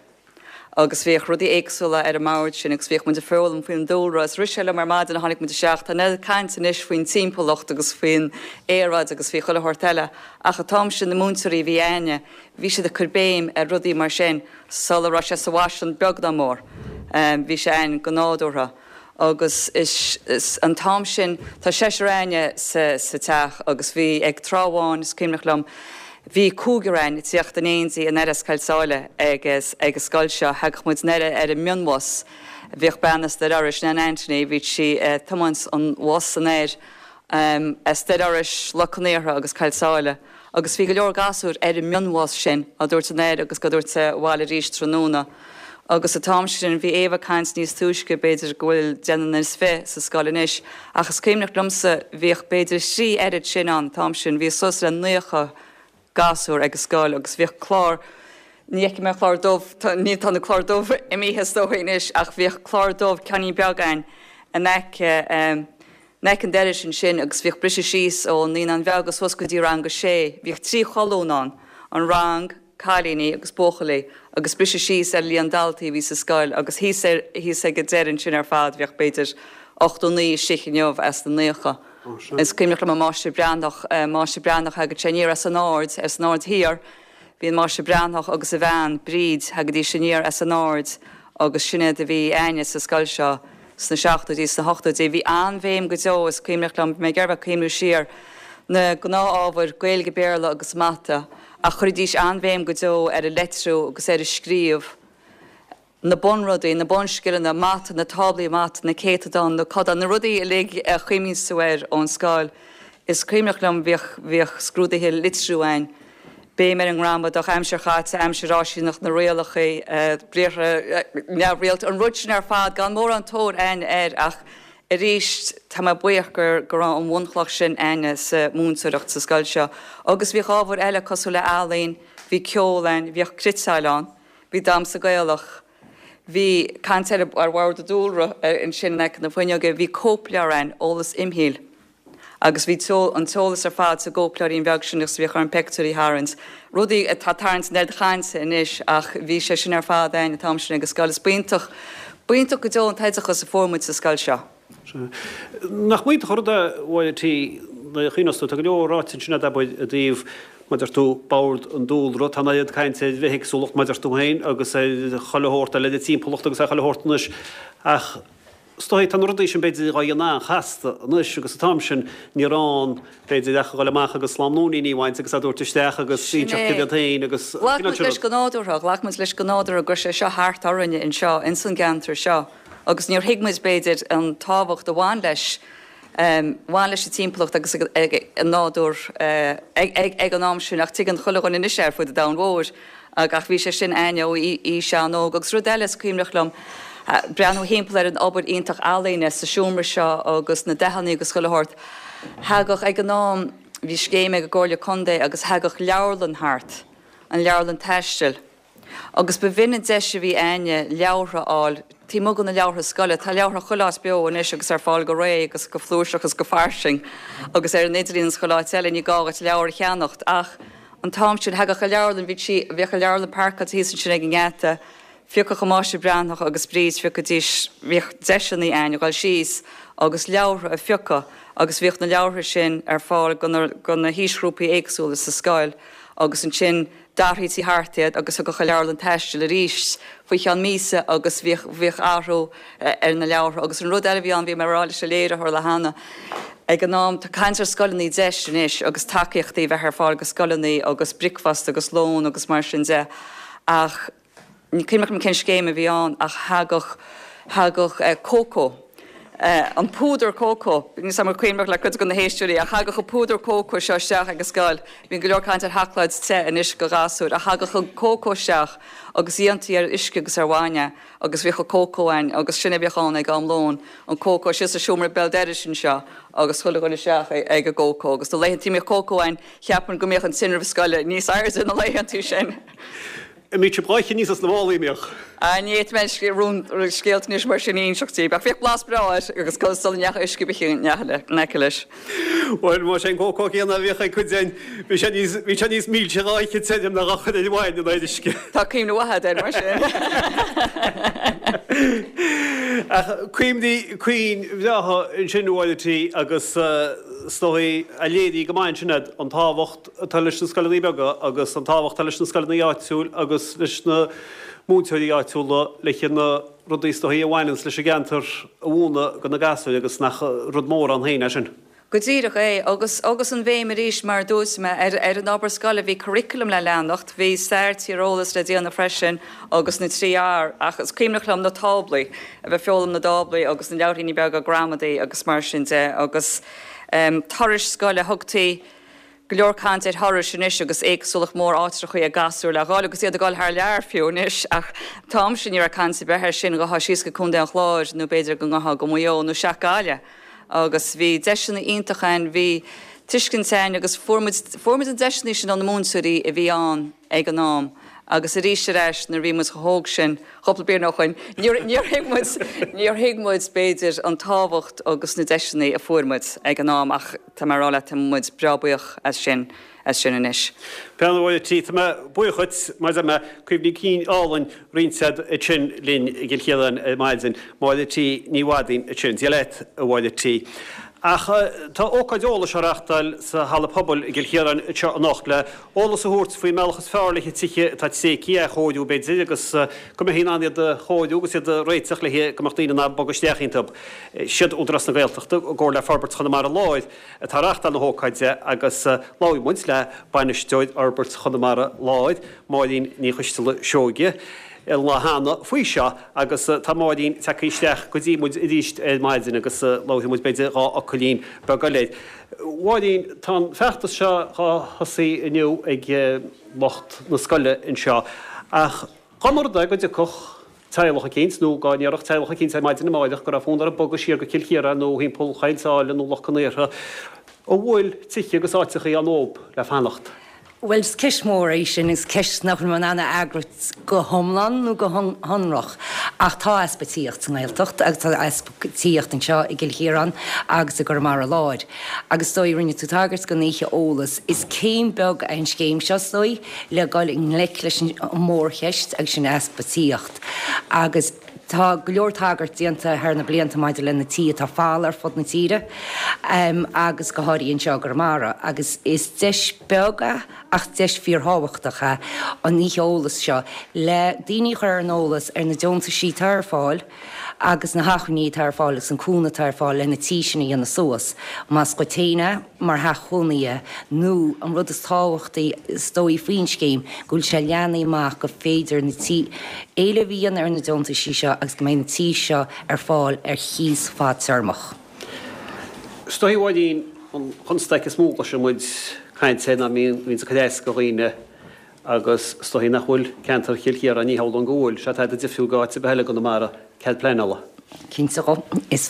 Agus bhíodh rudaí éagsúla ar an mbord sin agus bhíodh muid ag foghlaim faoin dúlra. Is rith sé liom ar maidin a tháinig muid isteach, tá an oiread cainte anois faoin timpeallacht agus faoin aeráid agus faoi chuile shórt eile, ach an t-am sin na múinteoirí a bhí a'inne, bhí siad ag cur béim ar rudaí mar sin sula raibh sé sa bhfaisean beag ná mór. Bhí sé a'inn go nádúrtha. Agus is an t-am sin, tá seisear a'inne sa teach agus bhí ag tráth amháin, is cuimhneach liom, bhí cúigear a'inn ag tíocht in éindí anoir as Coill Sáile ag an scoil seo, thagadh muid anoir ar an mionbhus, bhíodh bean as Doire Iorrais, Nan Anthony, bhíodh sí ag tiomáint an bhus anoir as Doire Iorrais, Loch Con Aortha agus Coill Sáile. Agus bhí go leor gasúir ar an mionbhus sin á dtabhairt anoir agus á dtabhairt abhaile arís tráthnóna. Agus an t-am sin, bhí Éabha ag caint níos túisce, b'fhéidir go bhfuil deichniúr is fiche sa scoil anois, ach is cuimhneach liomsa, bhíodh b'fhéidir thrí oiread sin ann an t-am sin, bhí suas le 90 gasúr ag an scoil agus bhíodh clár, ní fheicfidh mé clár dubh, ní, tá na cláir dubh imithe is dóigh anois, ach bhíodh clár dubh ceainnín beag a'inn in aice, In aice an dorais ansin agus bhíodh briseadh síos ó Naíonáin Bheaga suas go dtí rang a sé. Bhíodh trí cholún ann, an rang, cailíní agus buachaillí, agus briseadh síos ar líon daltaí a bhí sa scoil agus thíos ar, thíos ag an deireadh ansin ar fad bhíodh b'fhéidir 89 istigh inniu as na naocha. Is cuimhneach liom an Máistir Breathnach, Máistir Breathnach thagadh sé aniar as an Aird, as an Aird Thiar, Bhí an Máistir Breathnach agus a bhean, Bríd, thagaidís aniar as an Aird agus sin iad a bhí a'inne sa scoil seo sna seachtóidí, sna hochtóidí. Bhí an-bhéim go deo, is cuimhneach liom, bhí mé ag iarraidh bheith ag cuimhniú siar, na gnáth-ábhair, Gaeilge, Béarla agus Mata, ach chuiridís an-bhéim go deo ar an leitriú agus ar an scríobh. na bunrudaí, na bunscileanna, mata, na táblaí mata, na céatadáin, na codáin, na rudaí uilig a chuimhníos tú air ón scoil. Is cuimhneach liom, bhíodh, bhíodh scrúduithe litriú a'inn, béim ar an ngramadach, aimsir chaite, aimsir fháistineach, na rialacha, briathra neamhrialta, an rud sin ar fad, gan mórán tóir a'inn air ach arís tá mé buíoch gur, go raibh an bhunchloch sin a'inne sa mhúinteoireacht sa scoil seo. Agus bhíodh ábhair eile cosúil le ealaín, bhí ceol a'inn, bhíodh cniotáil ann. Bhí damhsa Gaelach. Bhí caint ar ar bhord an dúlra ansin in aice na fuinneoige. Bhí cóipleabhar a'inn, eolas imshaoil. Agus bhí an t-eolas ar fad sa gcóipleabhairín bheag sin agus bhíodh orainn peictiúirí a tharraingt. Rudaí atá ag tarraingt an oiread chainte anois ach bhí sé sin ar fad a'inn an t-am sin ag an scoil. Is b'iontach, b'iontach go deo an t-oideachas a fuair muid sa scoil seo. Nach iontach an rud é, a Mháire T, nuair a chuimhneos tú, tá go leor ráite ansin agat, abair, i dtaobh, mar a deir tú, bord an dúlra, tá an oiread cainte ar bhithéagsúlacht, mar a deir tú féin, agus ar chuile shórt eile, ar an timpeallacht agus ar chuile shórt anois, ach is dóigh, tá na rudaí sin, b'fhéidir, dhá dhéanamh an-chasta anois agus an t-am sin ní raibh ann, b'fhéidir, ach a dhul amach agus slám nóiníní a bhaint agus a dtabhairt isteach agus Sin inseacht é. céard iad féin agus an Ghlac cineál muid sin leis rud. go nádúrtha, ghlac muid leis go nádúrtha go raibh sé seo thart orainne anseo, ins an gceantar seo. Agus níor thuig muid, b'fhéidir, an tábhacht a bhain leis, bhain leis an timpeallacht agus an nádúr ag an am sin, ach tuigeann chuile dhuine anois é ar fud an domhain mhóir. Ach bhí sé sin a'inne ó aois an-óg. Agus rud eile is cuimhneach liom, breathnú thimpeall ar an obair iontach ealaíne sa seomra seo agus na dathanna agus chuile shórt. Thagadh, ag an am, bhí scéim ag an gComhairle Contae agus thagadh leabharlann thart, an leabharlann taistil. Agus ba bh'in an deis a bhí a'inne leabhartha a fháil, taobh amuigh de na leabhartha scoile. Tá leabhartha chuile áit beo anois agus ar fáil go réidh agus go flúirseach agus go fairsing agus ar an idirlíon agus chuile áit eile, ní gá dhuit leabhar a cheannacht. Ach an t-am sin, thagadh an leabharlann, bhí sí, bhíodh an leabharlann páirceáilte thíos ansin ag an ngeata, phiocfadh an Máistir Breathnach agus Bríd, phiocaidís, bhíodh deiseanna a'inn a dhul síos agus leabhartha a phiocadh agus bhíodh na leabhartha sin ar fáil go na, go na haoisghrúpaí éagsúla sa scoil agus ansin, D'athraítí thart iad agus thagadh an leabharlann taistil arís faoi cheann míosa agus bhíodh, bhíodh athrú ar na leabhartha. Agus an rud eile a bhí ann, bhí mé ag rá leis an léiritheoir le hAnna ag an am, tá caint ar scoileanna deis anois agus tacaíochtaí a bheith ar fáil go scoileanna agus bricfeasta agus lón agus mar sin de ach ní cuimhneach liom cén scéim a bhí ann ach thagadh, thagadh Cócó. An púdar cócó, níl 's a'm an cuimhneach le cuid de na héisteoirí, ach thagadh an púdar cócó seo isteach ag an scoil, bíonn go leor caint ar sheacláid te anois go ghasúir, ach thagadh an cócó isteach agus dhéantaí ar uisce agus ar bhainne agus bhíodh an cócó ann agus sin a bhíodh ann ag am lóin, an cócó síos sa seomra béal dorais anseo agus chuile dhuine isteach ag an gcócó agus na laethantaí a mbíodh cócó ann cheapfainn go mbíodh an tinreamh scoile níos airde na laethantaí sin. An mbíodh sibh dhá ithe aníos as na málaí, an mbíodh? Ah, ní fhéadfaidh mé rún, scéalta anois mar sin a inseacht daoibh, ach bhíodh blas breá air agus sula ndeachaigh uisce ar bith in aice leis. Bhuel, más é an cócó céanna a bhíodh ag cuid againn, bhí sé níos, bhí sé níos milse dhá ithe tirim ná dhá chur ar bhainne nó ar uisce. Tá cuimhne mhaith agat air mar sin. Ach cuimhní cinn bhreátha ansin, a Mháire T. agus is dóigh a léirigh go maith ansin iad, an tábhacht, atá leis na scoileanna beaga agus an tábhacht atá leis na scoileanna áitiúil agus leis na múinteoirí áitiúla le na rudaí is dóichí a bhaineanns leis an gceantar a mhúineadh do na gasúir agus nach rud mór ann féin é sin. Go díreach é, agus agus an bhéim arís, mar a dúirt mé, ar ar an obair scoile, bhí curriculum le leanacht, bhí stair, tíreolas le déanamh freisin agus na 3 R, ach is cuimhneach liom na táblaí, a bheith ag foghlaim na dtáblaí agus na leabhairíní beaga gramadaí agus mar sin de agus turais scoile, thugtaí Go leor caint ar thurais anois agus éagsúlacht mór áitreachaí ag gasúir le dhul agus iad ag dul thar lear fiú anois ach an t-am sin ní raibh caint ar bith air sin, ghabhfá síos go Contae an Chláir nó b'fhéidir go ngabhfá go Maigh Eo nó isteach Gaillimh agus bhí deiseanna iontacha ann, bhí tuiscint ann agus fuair muid, fuair muid an deiseanna sin ó na múinteoirí a bhí ann ag an am agus arís ar ais nuair a bhí muid chomh hóg sin, cúpla bliain ó shoin, níor, níor thuig muid, níor thuig muid b'fhéidir an tábhacht agus na deiseanna a fuair muid ag an am ach. Tá mé ag rá leat, tá muid breá buíoch as sin, as sin anois. Bean a Mháire T, tá mé buíoch dhuit, mar a deir mé, cuimhní cinn álainn roinnte agat ansin linn i gCill Chiaráin ar maidin. Máire T Ní Mhadaoin ansin. Dia leat, a Mháire T. Ach tá ócáid eolais á reachtáil sa Halla Pobail i gCill Chiaráin anseo anocht le eolas a thabhairt faoin mbealach is fearr le tithe atá tréigthe a athchóiriú b'fhéidir agus go mbeifí in ann iad a chóiriú agus iad a réiteach le go mbeadh daoine in ann bogadh isteach iontu. Siad Údarás na Gaeltachta, i gcomhar le Forbairt Chonamara Láir, atá ag reáchtáil na hócáide agus labhair muid le Bainisteoir Fhorbairt Chonamara Láir, Máirín Ní Choisteala Seoige, an lá cheana faoi seo agus tá Máirín tagtha isteach go dtí muid arís ar maidin agus labharfaidh muid b'fhéidir dá fhocailín beag eile. Mháirín, tá an feachtas seo dhá thosaí inniu ag lucht na scoile anseo ach dá mba rud é go dtiocfadh teaghlach eicínt, nó dá ndéarfadh teaghlach eicínt ar maidin amáireach go raibh fonn orthu bogadh siar go Cill Chiaráin nó thimpeall Choill tSáile nó Loch Con Aortha, an bhfuil tithe agus áiteachaí ann dóibh le fanacht? Bhuel, is ceist mhór é sin, is ceist nach bhfuil mé in ann a fhreagairt go hiomlán nó go hionrach. Ach tá easpa tithíocht sa nGaeltacht agus tá easpa tithíocht anseo i gCill Chiaráin agus i gConamara Láir. Agus is dóigh, rinne tú tagairt don oíche eolais, is céim beag é an scéim seo, is dóigh, le dhul i ngleic leis an mórcheist agus sin easpa tithíocht. Agus tá go leor tagairt déanta thar na blianta maidir le na tithe atá folamh ar fud na tíre agus go háirithe anseo i gConamara. Agus is deis beag é ach deis fíorthábhachtach é an oíche eolais seo le daoine a chur ar an eolas ar na deontaisí atá ar fáil, agus na hacmhainní atá ar fáil agus an cúnamh atá ar fáil le na tí sin a dhéanamh suas, más dhuit féin é mar theach cónaithe nó an rud is tábhachtaí is dóigh faoin scéim, go bhfuil sé leathnaithe amach go féidir na tí, éileamh a dhéanamh ar na deontaisí seo agus go mbeidh na tí seo ar fáil ar chíos fadtéarmach. Is dóigh, a Mháirín, an chonstaic is mó a gcloiseann muid caint air ná bíonn sé ag cur as do dhaoine Agus is dóichí nach bhfuil ceantar Chill Chiaráin, ní hamhlaidh go bhfuil sé tada difriúil go áit ar bith eile i gConamara, cead pleanála. Cinnte dhó. Is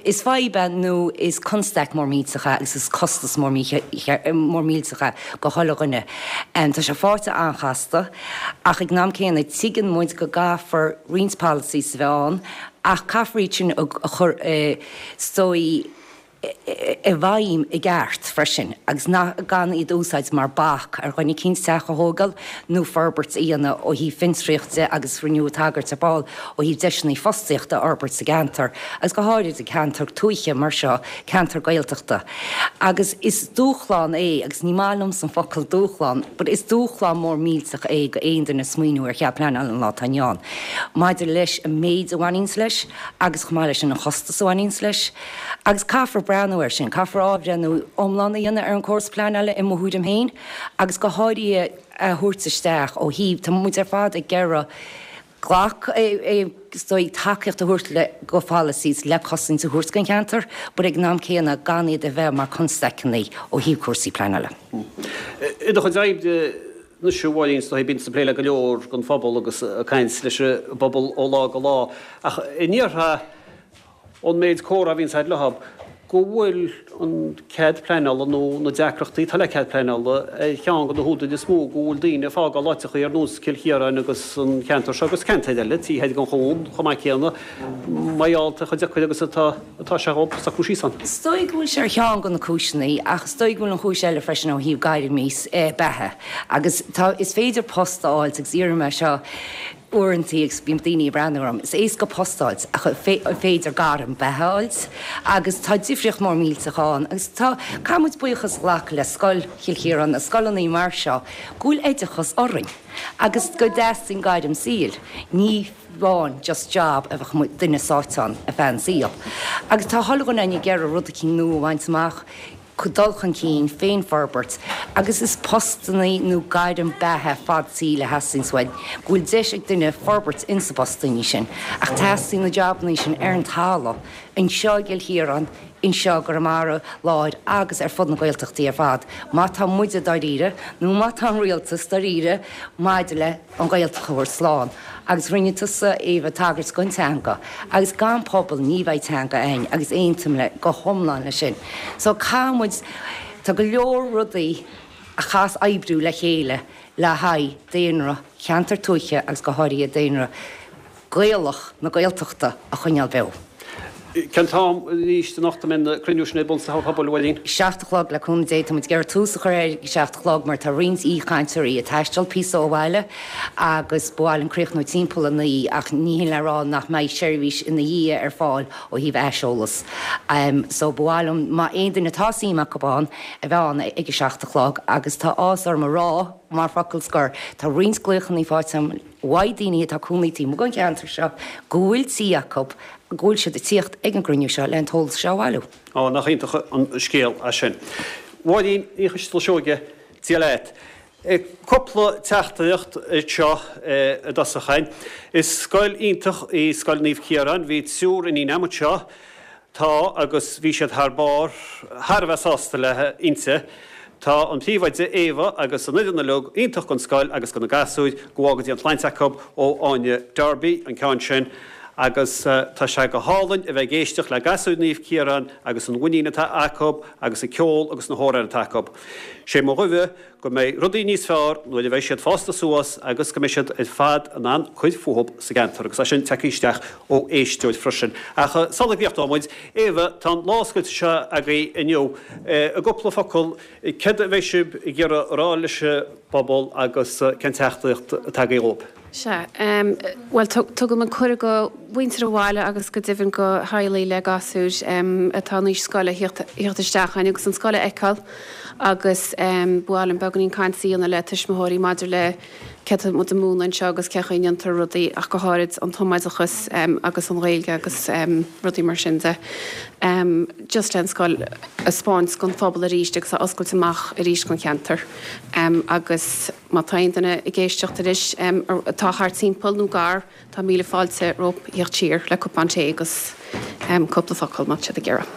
is fadhb é nó is constaic mór millteach é agus is costas mór mór millteach é go chuile dhuine. Tá sé faighte an-chasta ach ag an am céanna tuigeann muid go gcaithfear roinnt policies a bheith ann ach caithfear iad sin a chur is dóigh i bhfeidhm i gceart freisin agus gan iad a úsáid mar bac ar dhuine eicínt teach a thógáil nó forbairt a dhéanamh ó thaobh fiontraíocht de agus rinneadh tagairt ar ball ó thaobh deiseanna fostaíochta a fhorbairt sa gceantar agus go háirid i gceantar tuaithe mar seo, ceantar Gaeltachta. Agus is dúshlán é, agus ní maith liomsa an focal dúshlán, but is dúshlán mór millteach é go aon duine smaoineamh ar chead pleanála an lá atá inniu ann maidir leis an méid a bhaineanns leis agus chomh maith leis sin an chostas a bhaineanns leis. Agus caithfear breathnú air sin, caithfear athbhreithniú iomlán a dhéanamh ar an gcóras pleanála i mo thuairim féin agus go háirithe a thabhairt isteach ó thaobh, tá muid ar fad ag iarraidh. Glac, is dóigh, tacaíocht a thabhairt le go pholasaí le cosaint a thabhairt don cheantar, but ag an am céanna gan iad a bheith mar constaiceanna ó thaobh cúrsaí pleanála. I do chuid oibre anois, a Mháirín, is dóigh, bíonn tú ag plé le go leor den phobal agus ag caint leis an bpobal ó lá go lá, ach an ndéarfá ón méid comhrá a bhíonns agat leo, go bhfuil an cead pleanála nó na deacrachtaí atá le cead pleanála ar cheann de na húdair is mó go bhfuil daoine ag fágáil áiteachaí ar nós Cill Chiaráin agus an ceantar seo agus ceantair eile, taobh thoir den chuan chomh maith céanna, mar gheall ar chomh deacair agus atá atá sé dhóibh socrú síos ann. Is dóigh go bhfuil sé ar cheann de na cúiseanna ach is dóigh go bhfuil an chúis eile freisin ó thaobh gairmí beatha agus tá is féidir post a fháilt agus iarraim é seo Uaireantaí agus bíonn daoine ag breathnú orm, is éasca post a fháilt ach an féidir gairm beatha a fháilt? Agus tá difríocht mór millteach ann agus tá, caithfidh muid buíochas a ghlacadh le Scoil Chill Chiaráin, na scoileanna mar seo, go bhfuil oideachas orainn agus go dteastaíonn gairm saoil, ní amháin just job a bheadh duine sáite ann ar feadh an saoil. Agus tá chuile dhuine againn ag iarraidh rud eicínt nua a bhaint amach, dul chun cinn, féinfhorbairt agus is postannaí nó gairm beatha fad saoil a theastaíonns uainn, go bhfuil deis ag duine forbairt insa bpostannaí sin. Ach teastaíonn na jabannaí sin ar an talamh, anseo i gCill Chiaráin, anseo i gConamara Láir agus ar fud na Gaeltachtaí ar fad, má tá muide dáiríre, nó má tá an rialtas dáiríre maidir le an Ghaeltacht a thabhairt slán. Agus rinne tusa, Éabha, tagairt don teanga, agus gan pobal ní bheidh teanga againn, agus aontaím le go hiomlán leis sin. So caithfidh muid, tá go leor rudaí a chaithfeas oibriú le chéile le haghaidh daonra cheantar tuaithe agus go háirithe daonra Gaelach na Gaeltachta a choinneáil beo. Cén t-am arís anocht a mbeidh an cruinniú sin ar bun sa Halla Pobail, a Mháirín? 7 a chlog, le cúnamh Dé. Tá muid ag iarraidh tús a chur air ag a 7 a chlog mar tá roinnt aoichainteoirí ag taisteal píosa ó bhaile agus ba mhaith linn críochnú timpeall a 9 ach ní hin le rá nach mbeidh seirbhís ina dhiaidh ar fáil ó thaobh aiseolas. So ba mhaith liom má aon duine atá suim acu ann a bheith ann ag a 7 a chlog agus tá áthas orm a rá mar focal scoir tá roinnt glaochanna faighte agam uaidh daoine atá cónaí taobh amuigh den cheantar seo go bhfuil tí acu, go bhfuil siad ag tíocht ag an gcruinniú seo le an t-eolas seo a bhailiú. Á, nach iontach an scéal é sin. Mháirín Ní Choisteala-Seoige, Dia leat. Cúpla teachtaireacht anseo i dtosach againn. Is scoil iontach í Scoil Naomh Ciarán. Bhí triúr iníon agam anseo. Tá, agus bhí siad thar barr, thar a bheith sásta le inti. Tá an príomhoide, Éabha, agus an fhoireann uilig iontach don scoil agus do na gasúir, go bhfága Dia an tsláinte acu, ó Áine Darby, an ceann sin. Agus tá sé go hálainn a bheith ag éisteacht le gasúir Naomh Ciarán agus an mhuinín atá acu agus an ceol agus na hamhráin atá acu. Sé mo ghuí go mbeidh rudaí níos fearr nuair a bheidh siad fásta suas agus go mbeidh siad ar fad in ann cur fúthub sa gceantar agus é sin tagtha isteach ó éisteoir freisin. Ach sula gcríochnóidh muid, Éabha, tá an lá oscailte seo agaibh inniu. I gcúpla focal, céard a bheidh sibh ag iarraidh a rá leis an bpobal agus cén teachtaireacht atá agaibh dhóibh? Sea. Bhuel, tugaim an cuireadh go mhuintir an bhaile agus go deimhin go theaghlaigh le gasúir atá in aois scoile theacht isteach againn agus an scoil a fheiceáil agus ba mhaith liom beagáinín cainte a dhéanamh le tuismitheoirí maidir le céard atá muid ag múineadh anseo agus cén chaoi a ndéantar rudaí ach go háirid an tumoideachas agus an Ghaeilge agus rudaí mar sin de. Just le an scoil a 'spáint don phobal arís agus a oscailt amach arís don cheantar agus Má tá aon duine ag éisteacht anois atá thart timpeall nó gar, tá míle fáilte rompu theacht siar le cupán tae agus cúpla focal má tá siad ag iarraidh.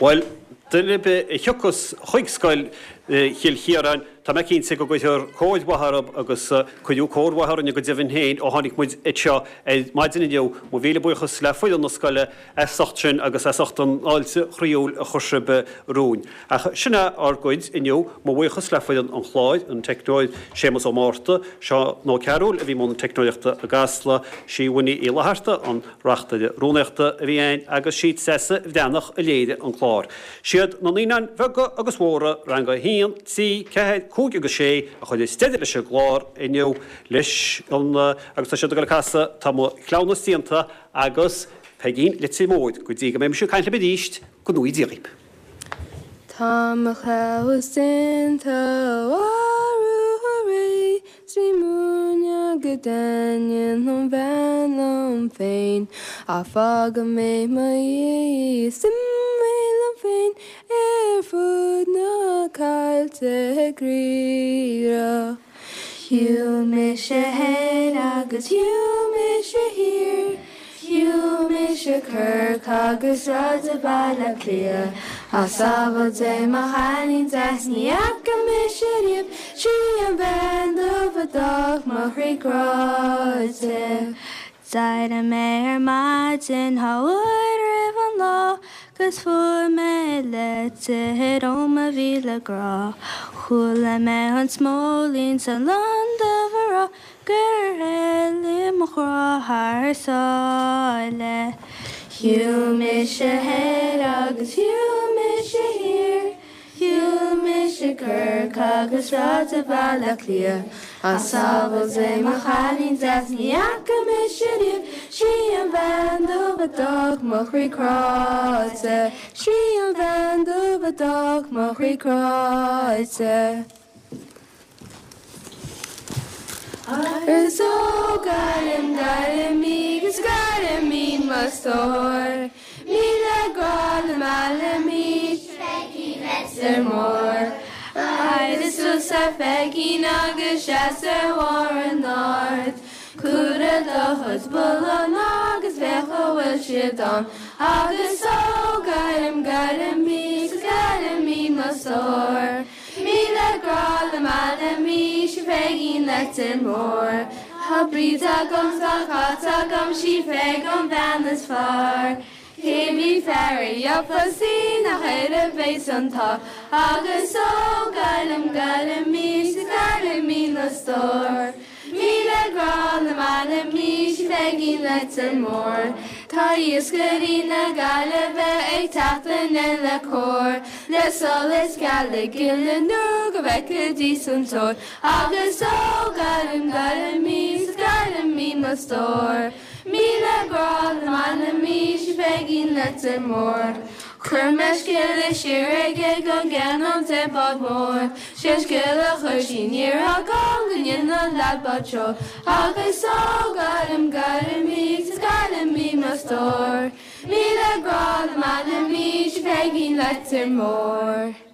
Bhuel, duine ar bith a thiocfas chuig scoil Chill Chiaráin, tá mé cinnte go gcuirfear cóir mhaith orthu agus cuireadh cóir mhaith orainne go deimhin féin ó tháinig muid anseo ar maidin inniu. Mo mhíle buíochas le foireann na scoile as ucht sin agus as ucht an fháilte chroíúil a chuir sibh romhainn. Ach sin é ár gcuid inniu. Mo bhuíochas le foireann an chláir, an teicneoir Séamus Ó Márta, Seán Ó Cearúil a bhí i mbun teicneoireachta i gCasla, sí Winnie Uí Fhlatharta an reachtaire rúnaíochta a bhí againn agus sí Treasa Bhreathnach a léirigh an clár. Siad na naíonáin bheaga agus mhóra, Rang 1, 3, 4, 5 agus 6 a chuireas deireadh leis an gclár inniu leis an agus tá siad ag dul ag casadh Tá mo chleamhnas déanta agus Peigín Leitir Móir, go dtí go mbeidh mise ag caint libh arís, go ngnóthaí Dia dhaoibh. Tá mo chleamhnas déanta arú aréir 's bhí múineadh go daingean ón bhean liom féin Ach fágfaidh mé i mo dhiaidh í 's imeoidh mé liom féin ar fud na caillte ag ríre. Shiúil mise thoir agus shiúil mise thiar, Shiúil mise Corcaigh agus sráideanna Bhaile Átha Cliath, Ach sábháil Dé mo chailín deas ní fhaca mise riamh, Sí an bhean dubh a d'fhág mo chroí cráite. D'éirigh mé ar maidin dhá uair roimh an lá 'Gus fuair mé litir ó mo mhíle grá. Chuala mé an smóilín 's an lon dubh a rá Gur éalaigh mo ghrá thar sáile. Shiúil mise thoir agus shiúil mise thiar, Shiúil mise Corcaigh agus sráideanna Bhaile Átha Cliath, Ach sábháil Dé mo chailín deas ní fhaca mise riamh, Sí an bhean dubh a d'fhág mo chroí cráite, Sí an bhean dubh a d'fhág mo chroí cráite. Agus ó Gaillimh, Gaillimh í 'gus Gaillimh í mo stór, 'Míle grá le mealladh í Pheigín Leitir Móir. Éirigh suas a Pheigín agus seas ar bharr an aird, Cuir do chuid bullán agus féach a bhfuil siad ann, Agus ó Gaillimh, Gaillimh í 'gus Gaillimh í mo stór. 'Míle grá le mealladh í 'sí Peigín Leitir Móir. Tá Bríd agam 's tá Cáit agam 'sí Peig an bhean is fearr. Cé bith fear a gheofas í nach air a bheas an t-ádh. Agus ó Gaillimh, Gaillimh í 's Gaillimh í mo stór. 'Míle grá le mealladh í 'sí Peigín Leitir Móir. Tá iascairí na Gaillimhe ag teacht anonn le cór, Le solas geala gile nó go bhfeicfidís an tóir. Agus ó Gaillimh, Gaillimh í 's Gaillimh í mo stór. 'Míle grá le mealladh í 'sí Peigín Leitir Móir. Chuir mé scéala siar aige go gceannóinn di bád mór. 'Sé an scéal a chuir sí aniar agam go ndéana an leaid bád seoil. Agus ó Gaillimh, Gaillimh í 's Gaillimh í mo stór. 'Míle grá le mealladh í 'sí Peigín Leitir Móir.